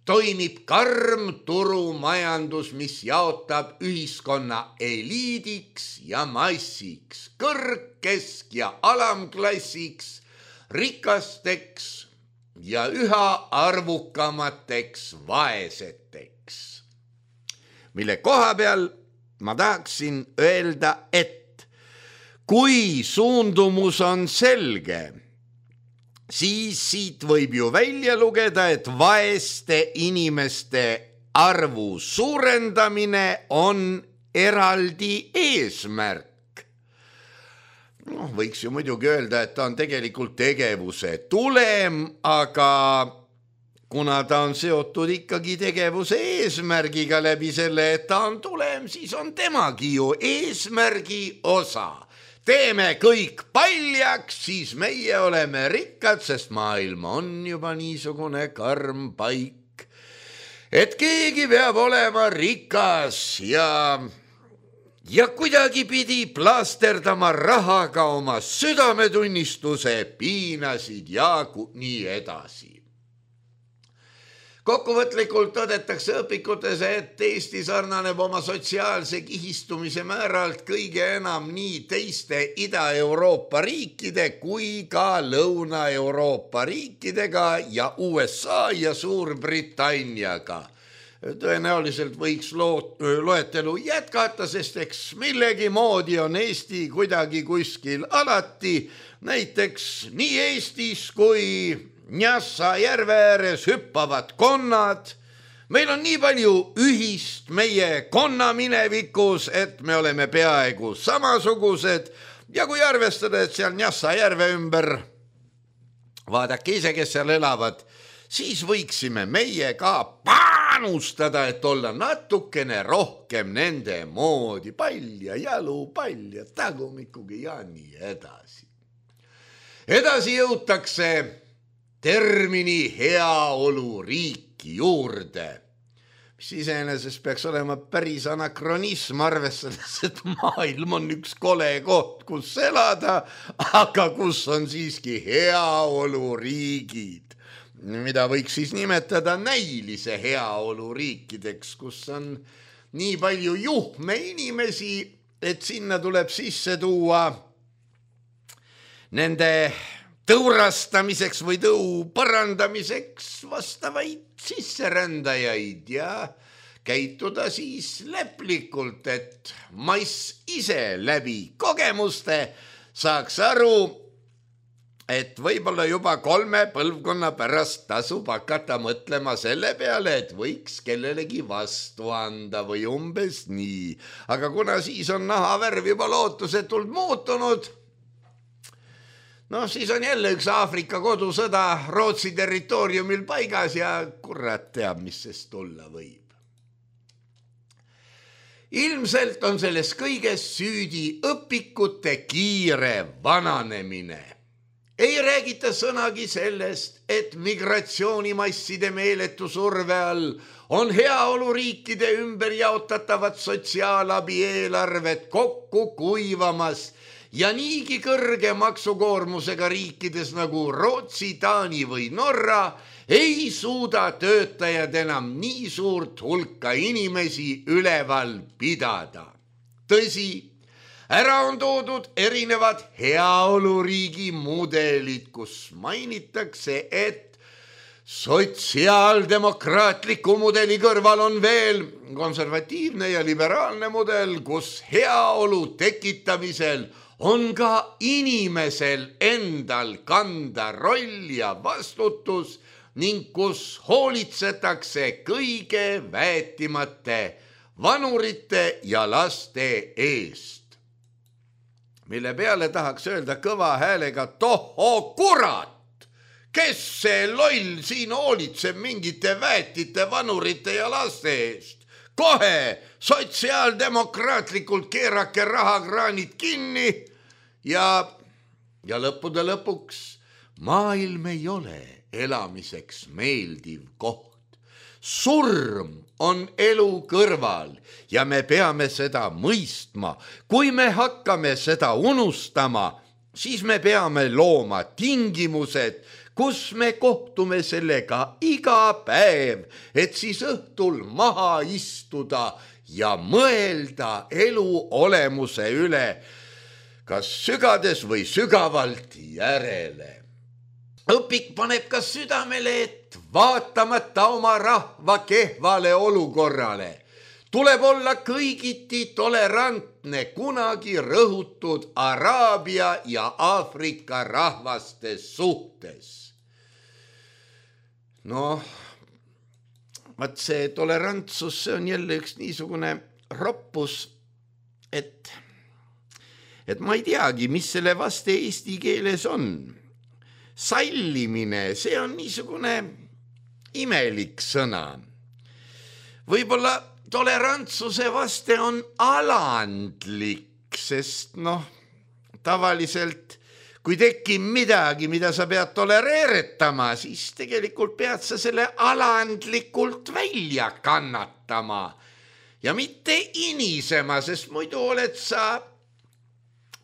toimib karm turumajandus, mis jaotab ühiskonna eliidiks ja massiks, kõrg-, kesk- ja alamklassiks, rikasteks, ja üha arvukamateks vaeseteks. Mille koha peal ma tahaksin öelda, et kui suundumus on selge, siis siit võib ju välja lugeda, et vaeste inimeste arvu suurendamine on eraldi eesmärk. No, võiks ju muidugi öelda, et ta on tegelikult tegevuse tulem, aga kuna ta on seotud ikkagi tegevuse eesmärgiga läbi selle, et ta on tulem, siis on temagi ju eesmärgi osa. Teeme kõik paljaks, siis meie oleme rikkad, sest maailm on juba niisugune karm paik, et keegi peab olema rikas ja, ja kuidagi pidi plaasterdama rahaga oma südametunnistuse piinasid ja nii edasi. Kokkuvõtlikult tõdetakse õpikutes, et Eesti sarnaneb oma sotsiaalse kihistumise määralt kõige enam nii teiste Ida-Euroopa riikide kui ka Lõuna-Euroopa riikidega ja U S A ja Suurbritanniaga. Tõenäoliselt võiks loetelu jätkata, sest eks millegi moodi on Eesti kuidagi kuskil alati, näiteks nii Eestis kui Njassa järve ääres hüppavad konnad. Meil on nii palju ühist meie konna minevikus, et me oleme peaaegu samasugused ja kui arvestada, et seal Njassa järve ümber, vaadake ise, kes seal elavad, siis võiksime meie ka panustada, et olla natukene rohkem nende moodi, pall ja jalu, pall ja tagumikugi ja nii edasi. Edasi jõutakse termini heaoluriiki juurde, mis iseenesest peaks olema päris anakronism, arvestades, et maailm on üks kole koht, kus elada, aga kus on siiski heaoluriigid, mida võiks siis nimetada näilise heaoluriikideks, kus on nii palju juhme inimesi, et sinna tuleb sisse tuua nende tõurastamiseks või tõu parandamiseks vastavaid sisserändajaid ja käituda siis leplikult, et mass ise läbi kogemuste saaks aru, et võib-olla juba kolme põlvkonna pärast tasub hakata mõtlema selle peale, et võiks kellelegi vastu anda või umbes nii. Aga kuna siis on nahavärv juba lootusetult muutunud, no siis on jälle üks Aafrika kodusõda Rootsi territooriumil paigas ja kurat teab, mis sest tulla võib. Ilmselt on selles kõiges süüdi õpikute kiire vananemine. Ei räägita sõnagi sellest, et migratsioonimasside meeletu surve all on heaoluriikide ümber jaotatavad sotsiaalabi eelarved kokku kuivamas ja niigi kõrge maksukoormusega riikides nagu Rootsi, Taani või Norra ei suuda töötajad enam nii suurt hulka inimesi üleval pidada. Tõsi, ära on toodud erinevad heaoluriigi mudelid, kus mainitakse, et sotsiaaldemokraatliku mudeli kõrval on veel konservatiivne ja liberaalne mudel, kus heaolu tekitamisel on ka inimesel endal kanda roll ja vastutus ning kus hoolitsetakse kõige väetimate vanurite ja laste eest. Mille peale tahaks öelda kõva häälega, tohoo kurat, kes see loll siin hoolitseb mingite väetite, vanurite ja laste eest? Kohe sotsiaaldemokraatlikult keerake rahakraanid kinni ja, ja lõppude lõpuks maailm ei ole elamiseks meeldiv koht. Surm on elu kõrval ja me peame seda mõistma. Kui me hakkame seda unustama, siis me peame looma tingimused, kus me kohtume sellega iga päev, et siis õhtul maha istuda ja mõelda elu olemuse üle, kas sügades või sügavalt järele. õpik paneb ka südamele, et vaatamata oma rahva kehvale olukorrale tuleb olla kõigiti tolerantne kunagi rõhutud Araabia ja Aafrika rahvaste suhtes. Noh, vaat see tolerantsus, see on jälle üks niisugune roppus, et, et ma ei teagi, mis selle vaste eesti keeles on. Sallimine, see on niisugune imelik sõna. Võib-olla tolerantsuse vaste on alandlik, sest noh, tavaliselt kui tekib midagi, mida sa pead tolereeretama, siis tegelikult pead sa selle alandlikult välja kannatama ja mitte inisema, sest muidu oled sa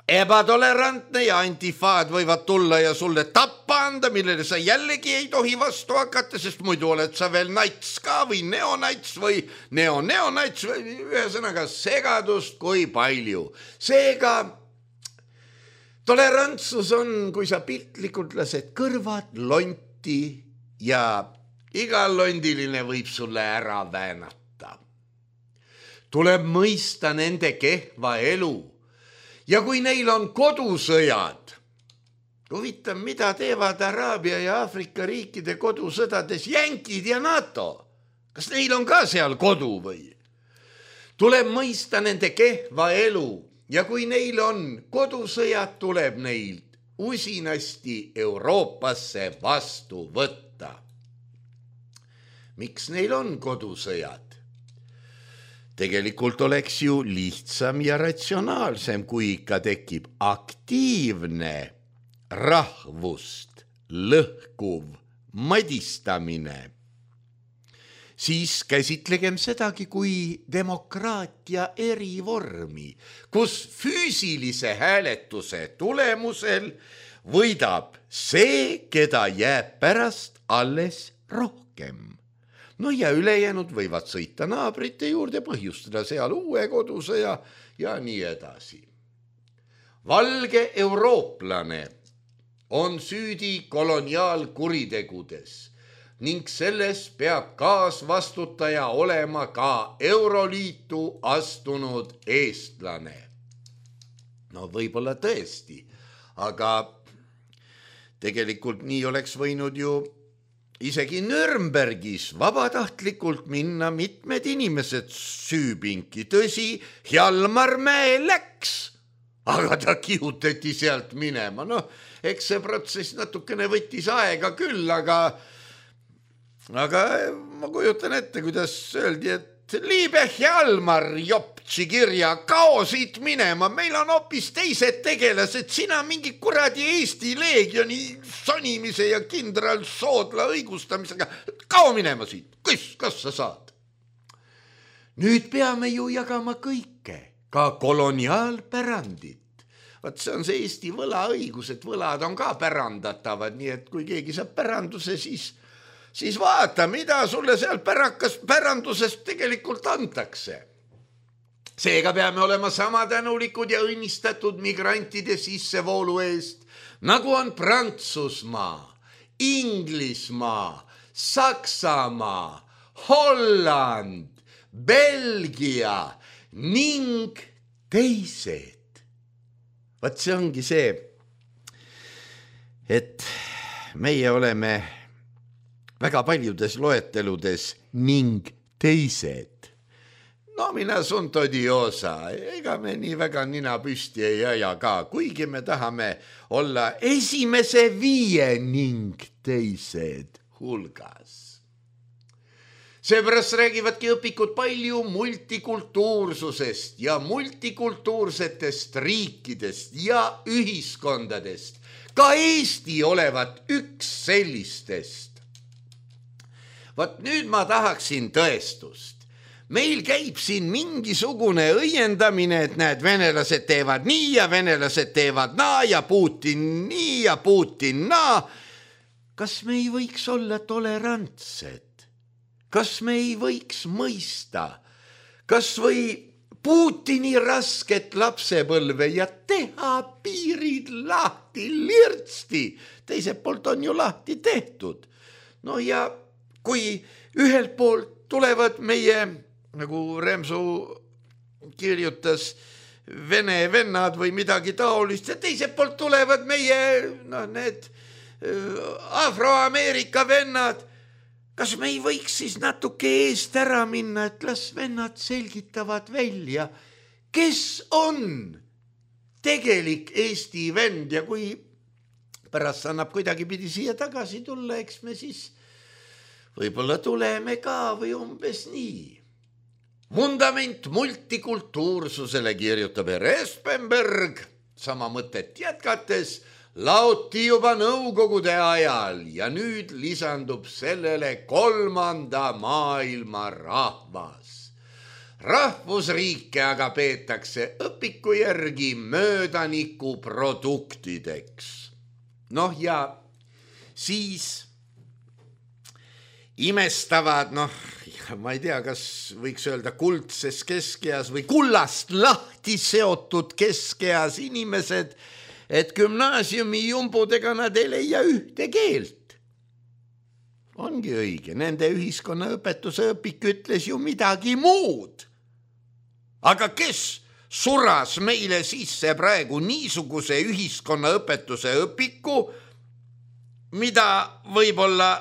ebatolerantne ja antifaad võivad tulla ja sulle tappa anda, millele sa jällegi ei tohi vastu hakata, sest muidu oled sa veel nats ka või neonats või neoneonats või ühesõnaga segadust kui palju. Seega tolerantsus on, kui sa piltlikult lased kõrvad lonti ja iga londiline võib sulle ära väänata. Tuleb mõista nende kehva elu. Ja kui neil on kodusõjad, huvitav, mida teevad Araabia ja Aafrika riikide kodusõdades jänkid ja NATO? Kas neil on ka seal kodu või? Tuleb mõista nende kehva elu ja kui neil on kodusõjad, tuleb neil usinasti Euroopasse vastu võtta. Miks neil on kodusõjad? Tegelikult oleks ju lihtsam ja ratsionaalsem, kui ikka tekib aktiivne rahvust lõhkuv madistamine. Siis käsitlegem sedagi kui demokraatia erivormi, kus füüsilise hääletuse tulemusel võidab see, keda jääb pärast alles rohkem. No ja ülejäänud võivad sõita naabrite juurde, põhjustada seal uue kodusõja ja nii edasi. Valge eurooplane on süüdi koloniaalkuritegudes ning selles peab kaasvastutaja olema ka Euroliitu astunud eestlane. No võib-olla tõesti, aga tegelikult nii oleks võinud ju isegi Nürnbergis vabatahtlikult minna mitmed inimesed süüpinki. Tõsi, Hjalmar Mäe läks, aga ta kihutati sealt minema. No, eks see protsess natukene võttis aega küll, aga, aga ma kujutan ette, kuidas öeldi, et liibe Hjalmar Joptsi kirja, kao siit minema, meil on hoopis teised tegelased, sina mingi kuradi Eesti leegioni sonimise ja kindral Soodla õigustamisega, kao minema siit, kus, kas sa saad? Nüüd peame ju jagama kõike, ka koloniaalpärandit. Vaat see on see Eesti võlaõigus, et võlad on ka pärandatavad, nii et kui keegi saab päranduse, siis siis vaata, mida sulle seal pärakas pärandusest tegelikult antakse. Seega peame olema sama tänulikud ja õnnistatud migrantide sissevoolu eest, nagu on Prantsusmaa, Inglismaa, Saksamaa, Holland, Belgia ning teised. Vaat see ongi see, et meie oleme väga paljudes loeteludes ning teised. No mina sunt odiosa, ega me nii väga nina püsti ei aja ka, kuigi me tahame olla esimese viie ning teised hulgas. Seepärast räägivadki õpikud palju multikultuursusest ja multikultuursetest riikidest ja ühiskondadest. Ka Eesti olevat üks sellistest. Vaat nüüd ma tahaksin tõestust. Meil käib siin mingisugune õiendamine, et näed, venelased teevad nii ja venelased teevad naa ja Putin nii ja Putin naa. Kas me ei võiks olla tolerantsed? Kas me ei võiks mõista? Kas või Putini rasket lapsepõlve ja teha piirid lahti lirtsti. Teiselt poolt on ju lahti tehtud. No ja kui ühelt poolt tulevad meie, nagu Remsu kirjutas, vene vennad või midagi taolist ja teiselt poolt tulevad meie, no need Afroameerika vennad. Kas me ei võiks siis natuke eest ära minna, et las vennad selgitavad välja, kes on tegelik Eesti vend ja kui pärast annab kuidagi pidi siia tagasi tulla, eks me siis võib-olla tuleme ka või umbes nii. Vundament multikultuursusele kirjutab Espenberg, sama mõtet jätkates, laoti juba nõukogude ajal ja nüüd lisandub sellele kolmanda maailma rahvas. Rahvusriike aga peetakse õpiku järgi möödaniku produktideks. Noh ja siis imestavad, noh, ma ei tea, kas võiks öelda kuldses keskeas või kullast lahti seotud keskeas inimesed, et gümnaasiumi jumbudega nad ei leia ühte keelt. Ongi õige, nende ühiskonnaõpetuse õpik ütles ju midagi muud. Aga kes suras meile sisse praegu niisuguse ühiskonnaõpetuse õpiku, mida võib-olla,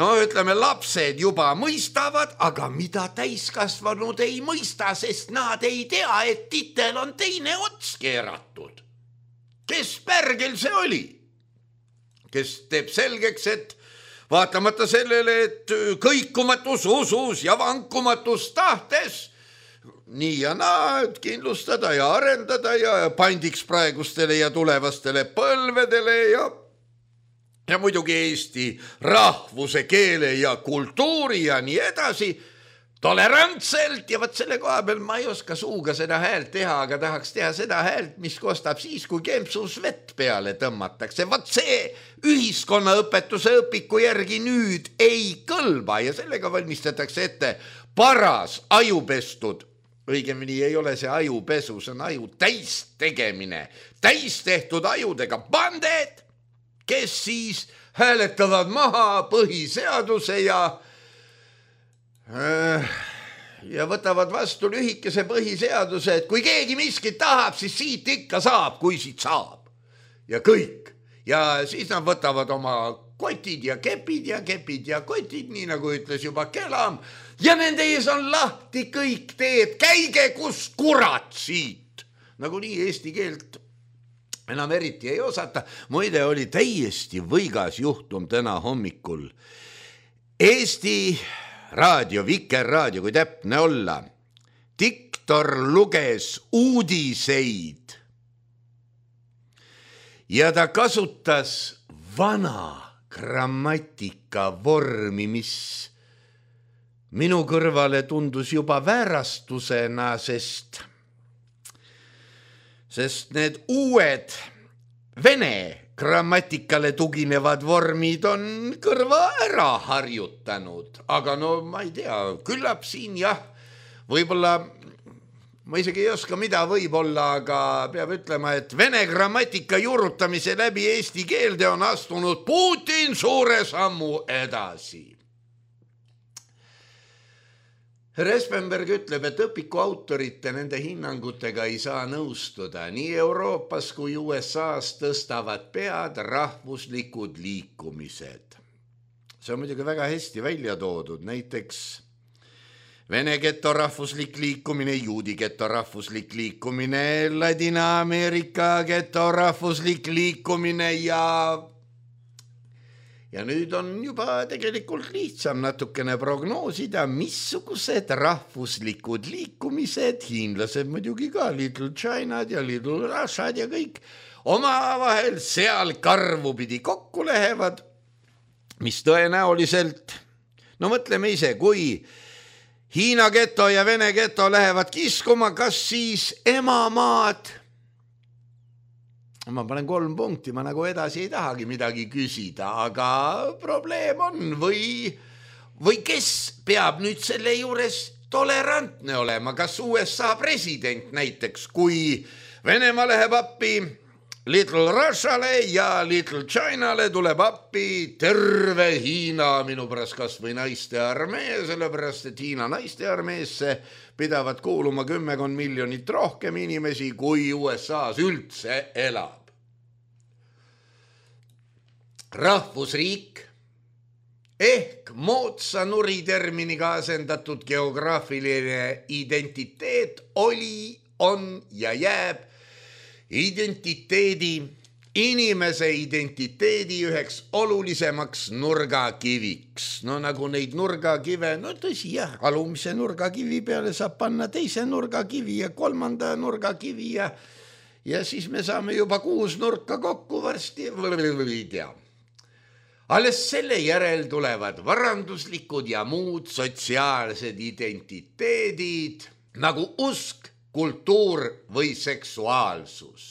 no ütleme, lapsed juba mõistavad, aga mida täiskasvanud ei mõista, sest nad ei tea, et titel on teine ots keeratud. Kes pärgel see oli? Kes teeb selgeks, et vaatamata sellele, et kõikumatus usus ja vankumatus tahtes, nii ja naa, et kindlustada ja arendada ja pandiks praegustele ja tulevastele põlvedele ja, ja muidugi Eesti rahvuse, keele ja kultuuri ja nii edasi, tolerantselt ja võt selle koha peal ma ei oska suuga seda häält teha, aga tahaks teha seda häält, mis kostab siis, kui kempsus vett peale tõmmatakse. Võt see ühiskonnaõpetuse õpiku järgi nüüd ei kõlba ja sellega valmistatakse ette paras ajupestud. Õigemini ei ole see ajupesu, see on aju täis tegemine. Täis tehtud ajudega banded, kes siis hääletavad maha põhiseaduse ja ja võtavad vastu lühikese põhiseaduse, et kui keegi miskit tahab, siis siit ikka saab, kui siit saab. Ja kõik. Ja siis nad võtavad oma kotid ja kepid ja kepid ja kotid, nii nagu ütles juba Kelam. Ja nende ees on lahti kõik teed, käige kus kurat siit. Nagu nii eesti keelt enam eriti ei osata. Muide oli täiesti võigas juhtum täna hommikul. Eesti raadio, Vikerraadio, kui täpne olla. Diktor luges uudiseid ja ta kasutas vana grammatika vormi, mis minu kõrvale tundus juba väärastusena, sest, sest need uued vene grammatikale tuginevad vormid on kõrva ära harjutanud, aga no ma ei tea, küllap siin jah, võib-olla, ma isegi ei oska mida võib-olla, aga peab ütlema, et vene grammatika juurutamise läbi eesti keelde on astunud Putin suure sammu edasi. Espenberg ütleb, et õpiku autorite nende hinnangutega ei saa nõustuda. Nii Euroopas kui U S A-s tõstavad pead rahvuslikud liikumised. See on muidugi väga hästi välja toodud. Näiteks Vene geto rahvuslik liikumine, juudi geto rahvuslik liikumine, Ladina-Ameerika geto rahvuslik liikumine ja... Ja nüüd on juba tegelikult lihtsam natukene prognoosida, missugused rahvuslikud liikumised, hiinlased muidugi ka, Little Chinad ja Little Russiad ja kõik, omavahel seal karvu pidi kokku lähevad, mis tõenäoliselt, no mõtleme ise, kui Hiina geto ja Vene geto lähevad kiskuma, kas siis emamaad, ma panen kolm punkti, ma nagu edasi ei tahagi midagi küsida, aga probleem on või, või kes peab nüüd selle juures tolerantne olema, kas U S A president näiteks, kui Venemaa läheb appi Little Russiale ja Little Chinale tuleb appi terve Hiina, minu pärast kas või naiste armee, sellepärast et Hiina naiste armeesse pidavat kuuluma kümmekond miljonit rohkem inimesi, kui U S A-s üldse elab. Rahvusriik ehk moodsa nuriterminiga asendatud geograafiline identiteet oli, on ja jääb identiteedi, inimese identiteedi üheks olulisemaks nurgakiviks. No nagu neid nurgakive, no tõsi jah, alumise nurgakivi peale saab panna teise nurgakivi ja kolmanda nurgakivi ja, ja siis me saame juba kuus nurka kokku varsti, ei tea. Alles selle järel tulevad varanduslikud ja muud sotsiaalsed identiteedid, nagu usk, kultuur või seksuaalsus.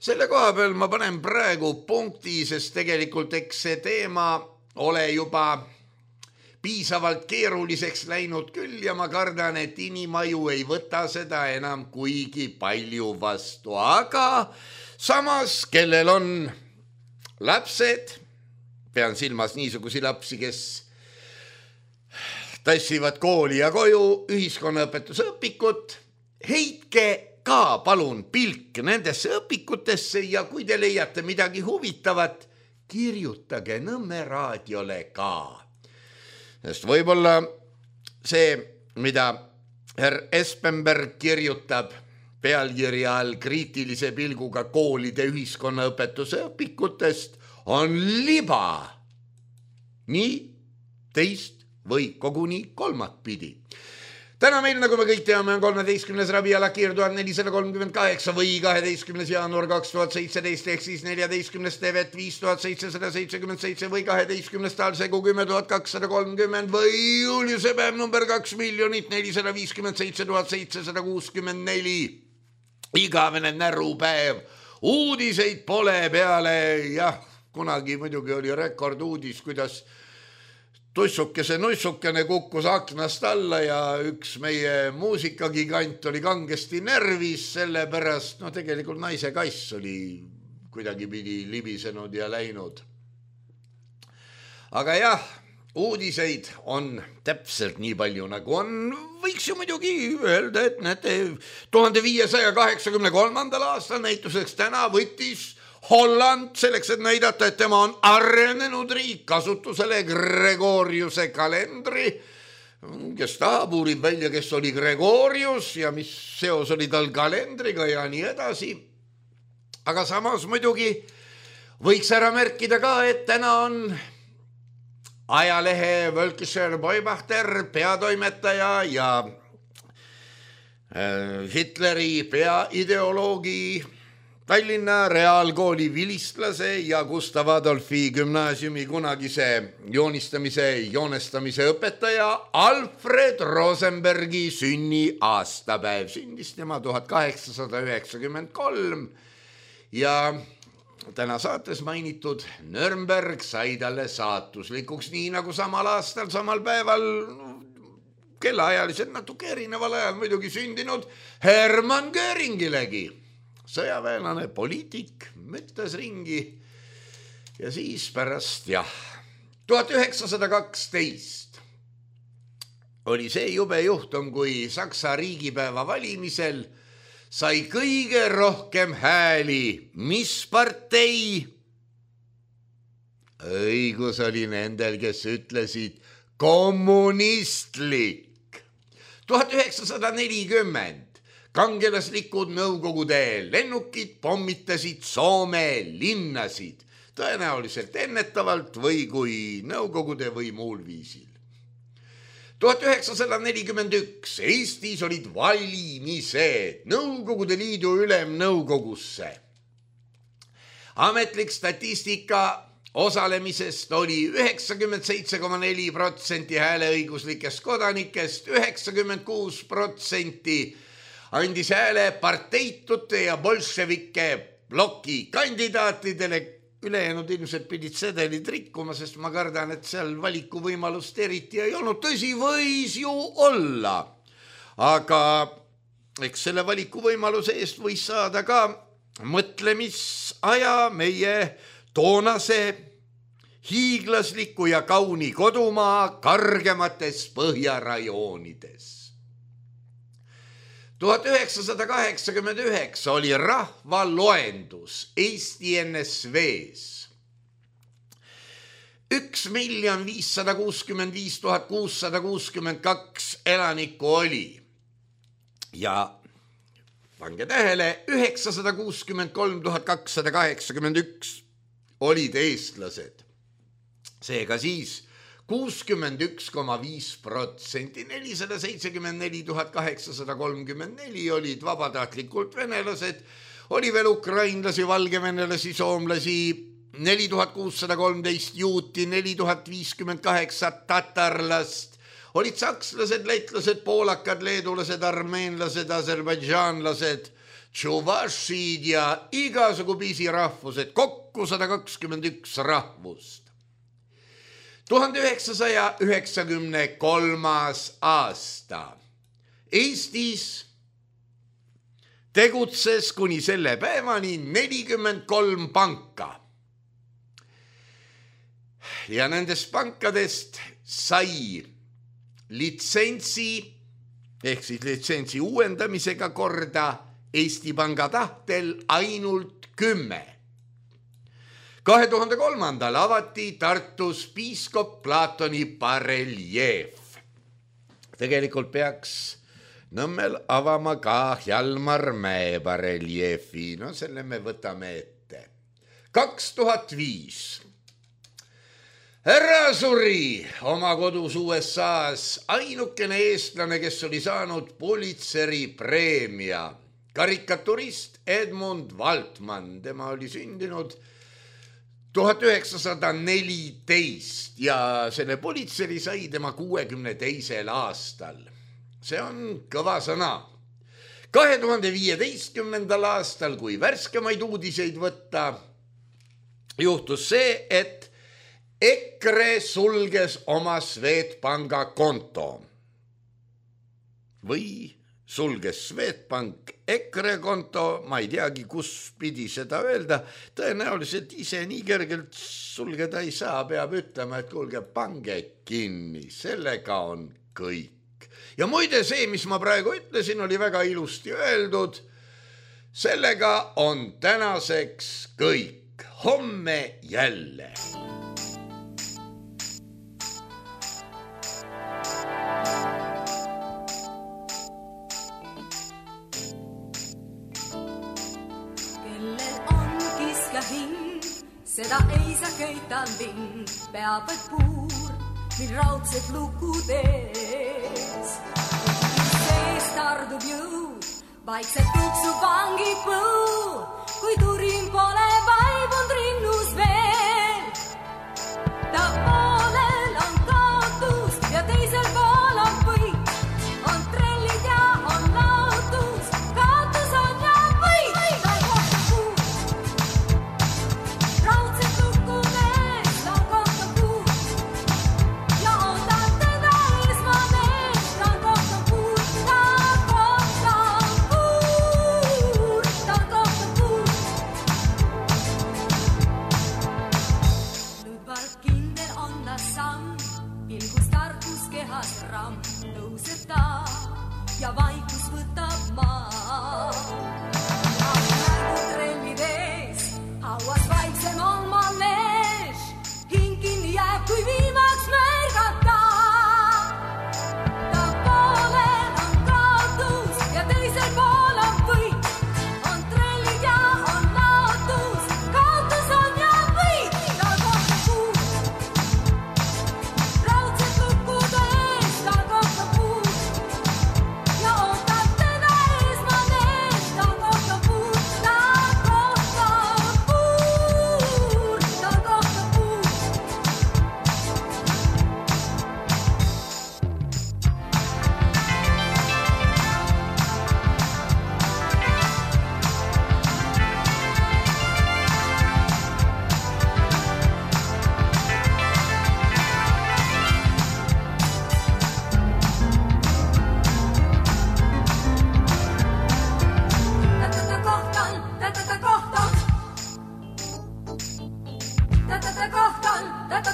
Selle koha peal ma panen praegu punkti, sest tegelikult eks see teema ole juba piisavalt keeruliseks läinud küll ja ma kardan, et inimaju ei võta seda enam kuigi palju vastu. Aga samas, kellel on lapsed, pean silmas niisugusi lapsi, kes tassivad kooli ja koju ühiskonnaõpetuse õpikut, heitke ka palun pilk nendesse õpikutesse ja kui te leiate midagi huvitavat, kirjutage Nõmme raadiole ka. Sest võib-olla see, mida herr Espenberg kirjutab pealkirja all kriitilise pilguga koolide ühiskonnaõpetuse õpikutest, on liba. Nii, teist või koguni kolmat pidi. Täna meil, nagu me kõik teame, on kolmeteistkümnes Rabiala Kiir tuhat nelisada kolmkümmend kaheksa või kaheteistkümnes jaanuar kaks tuhat seitseteist ehk siis neljateistkümnes Tevet viis tuhat seitsesada seitsekümmend seitse või kaheteistkümnes Talsegu kümme tuhat kakssada kolmkümmend või Juliuse päev number kaks miljonit nelisada viiskümmend seitse tuhat seitsesada kuuskümmend neli. Igavene närupäev. Uudiseid pole peale, jah, kunagi muidugi oli rekorduudis, kuidas tussukese nussukene kukkus aknast alla ja üks meie muusikagigant oli kangesti närvis, selle pärast, no tegelikult naise kass oli kuidagi pidi libisenud ja läinud. Aga jah, uudiseid on täpselt nii palju nagu on, võiks ju muidugi öelda, et näete, tuhande viiesaja kaheksakümne kolmandal aastal näituseks täna võttis Holland selleks, et näidata, et tema on arenenud riik, kasutusele Gregoriuse kalendri, kes tahab, uurib välja, kes oli Gregorius ja mis seos oli tal kalendriga ja nii edasi. Aga samas muidugi võiks ära märkida ka, et täna on ajalehe Völkischer Beobachter peatoimetaja ja Hitleri peaideoloogi Tallinna Reaalkooli vilistlase ja Gustav Adolfi gümnaasiumi kunagise joonistamise, joonestamise õpetaja Alfred Rosenbergi sünni aastapäev. Sündis tema tuhat kaheksasada üheksakümmend kolm ja täna saates mainitud Nürnberg sai talle saatuslikuks, nii nagu samal aastal, samal päeval, kellaajaliselt natuke erineval ajal muidugi sündinud Hermann Göringilegi. Sõjaväelane, poliitik, mõtles ringi ja siis pärast, jah, tuhat üheksasada kaksteist oli see jube juhtum, kui Saksa riigipäeva valimisel sai kõige rohkem hääli. Mis partei? Õigus oli nendel, kes ütlesid kommunistlik. tuhat üheksasada nelikümmend kangelaslikud Nõukogude lennukid pommitasid Soome linnasid, tõenäoliselt ennetavalt või kui Nõukogude või muul viisil. tuhat üheksasada nelikümmend üks Eestis olid valimised Nõukogude Liidu ülemnõukogusse. Ametlik statistika osalemisest oli üheksakümmend seitse koma neli protsenti hääleõiguslikest kodanikest, üheksakümmend kuus protsenti andis hääle parteitute ja bolševike ploki kandidaatidele, ülejäänud ilmselt pidid sedelid rikkuma, sest ma kardan, et seal valikuvõimalust eriti ei olnud. Tõsi, võis ju olla, aga eks selle valikuvõimaluse eest võis saada ka mõtlemisaja meie toonase hiiglasliku ja kauni kodumaa kargemates põhjarajoonides. tuhat üheksasada kaheksakümmend üheksa oli rahvaloendus Eesti N S V-s. üks miljon viissada kuuskümmend viis tuhat kuussada kuuskümmend kaks elanikku oli ja pange tähele, üheksasada kuuskümmend kolm tuhat kakssada kaheksakümmend üks olid eestlased. Seega siis kuuskümmend üks koma viis protsenti, nelisada seitsekümmend neli tuhat kaheksasada kolmkümmend neli olid vabatahtlikult venelased, oli veel ukrainlasi, valgevenelasi, soomlasi, neli tuhat kuussada kolmteist juuti, neli tuhat viiskümmend kaheksa tatarlast, olid sakslased, leitlased, poolakad, leedulased, armeenlased, aserbaidžaanlased, tšuvašid ja igasugu pisirahvused, kokku sada kakskümmend üks rahvust. tuhande üheksasaja üheksakümne kolmas aasta Eestis tegutses kuni selle päevani nelikümmend kolm panka. Ja nendest pankadest sai litsentsi ehk siis litsentsi uuendamisega korda Eesti Panga tahtel ainult kümme. kahe tuhande kolmandal avati Tartus piiskop Platoni bareljeef. Tegelikult peaks Nõmmel avama ka Hjalmar Mäe bareljeefi, no selle me võtame ette. kaks tuhat viis härra suri oma kodus U S A-s, ainukene eestlane, kes oli saanud Pulitzeri preemia, karikaturist Edmund Waltmann, tema oli sündinud tuhat üheksasada neliteist ja selle Pulitzeri sai tema kuuekümne teisel aastal. See on kõva sõna. kahe tuhande viieteistkümnendal aastal, kui värskemaid uudiseid võtta, juhtus see, et EKRE sulges oma Swedbanka konto. Või sulges Swedbank EKRE konto, ma ei teagi, kus pidi seda öelda, tõenäoliselt ise nii kergelt sulgeda ei saa, peab ütlema, et kuulge, pange kinni, sellega on kõik. Ja muide see, mis ma praegu ütlesin, oli väga ilusti öeldud, sellega on tänaseks kõik, homme jälle. Seda ei saa köita lind, peab vaid puur, mil raudsed lukud ees. Sees tardub jõud, vaikselt tuksub vangib põu, kui turin pole vaibund rinnus veel. Ta poolel on kaotus ja teisel pool on võit, on trellid ja on lautus, kaotus on ja võit. Ta kohtab puud, raudsed lukud ees, ta kohtab puud ja ootab teda esmamees. Ta kohtab puud, ta kohtab puud, ta kohtab puud. Ludvald kindel on ta samm, pilgus tarkus kehas ramm, tõuseb ta ja vaikus võtab maa. Praegu trellid ees, hauas vaiksem on mannees, hing kinni jääb, kui viimaks märgata. Ta poolel on kaotus ja teisel pool on võit, on trellid ja on laotus, kaotus on ja võit. Ta kohtab puud, raudsed lukud ees, ta kohtab puud ja ootab teda esmamees. Ta kohtab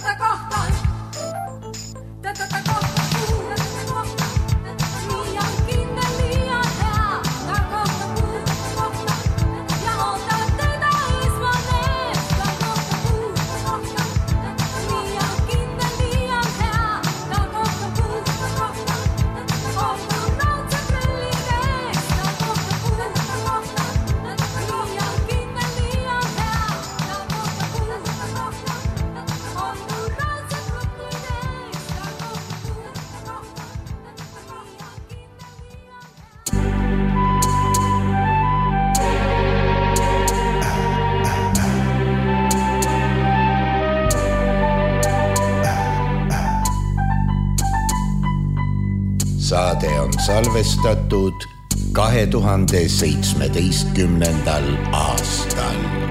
tätä kohtaan. Tätä kohta puu, tätä kohta. Liian kinne, liian hea. Tää kohta puu, kohta. Ja ota teitä isvaneet. Tää kohta puu, kohta. Liian kinne, liian hea. Tää kohta puu, kohta. Ollaan rautset rellineet. Tää kohta puu, kohta. Liian kinne, liian hea. Tää kohta puu, kohta. Ollaan rautset rellineet. Tää kohta puu, kohta. Liian kinne, liian hea. Saade on salvestatud kahe tuhande seitsmeteistkümnendal aastal.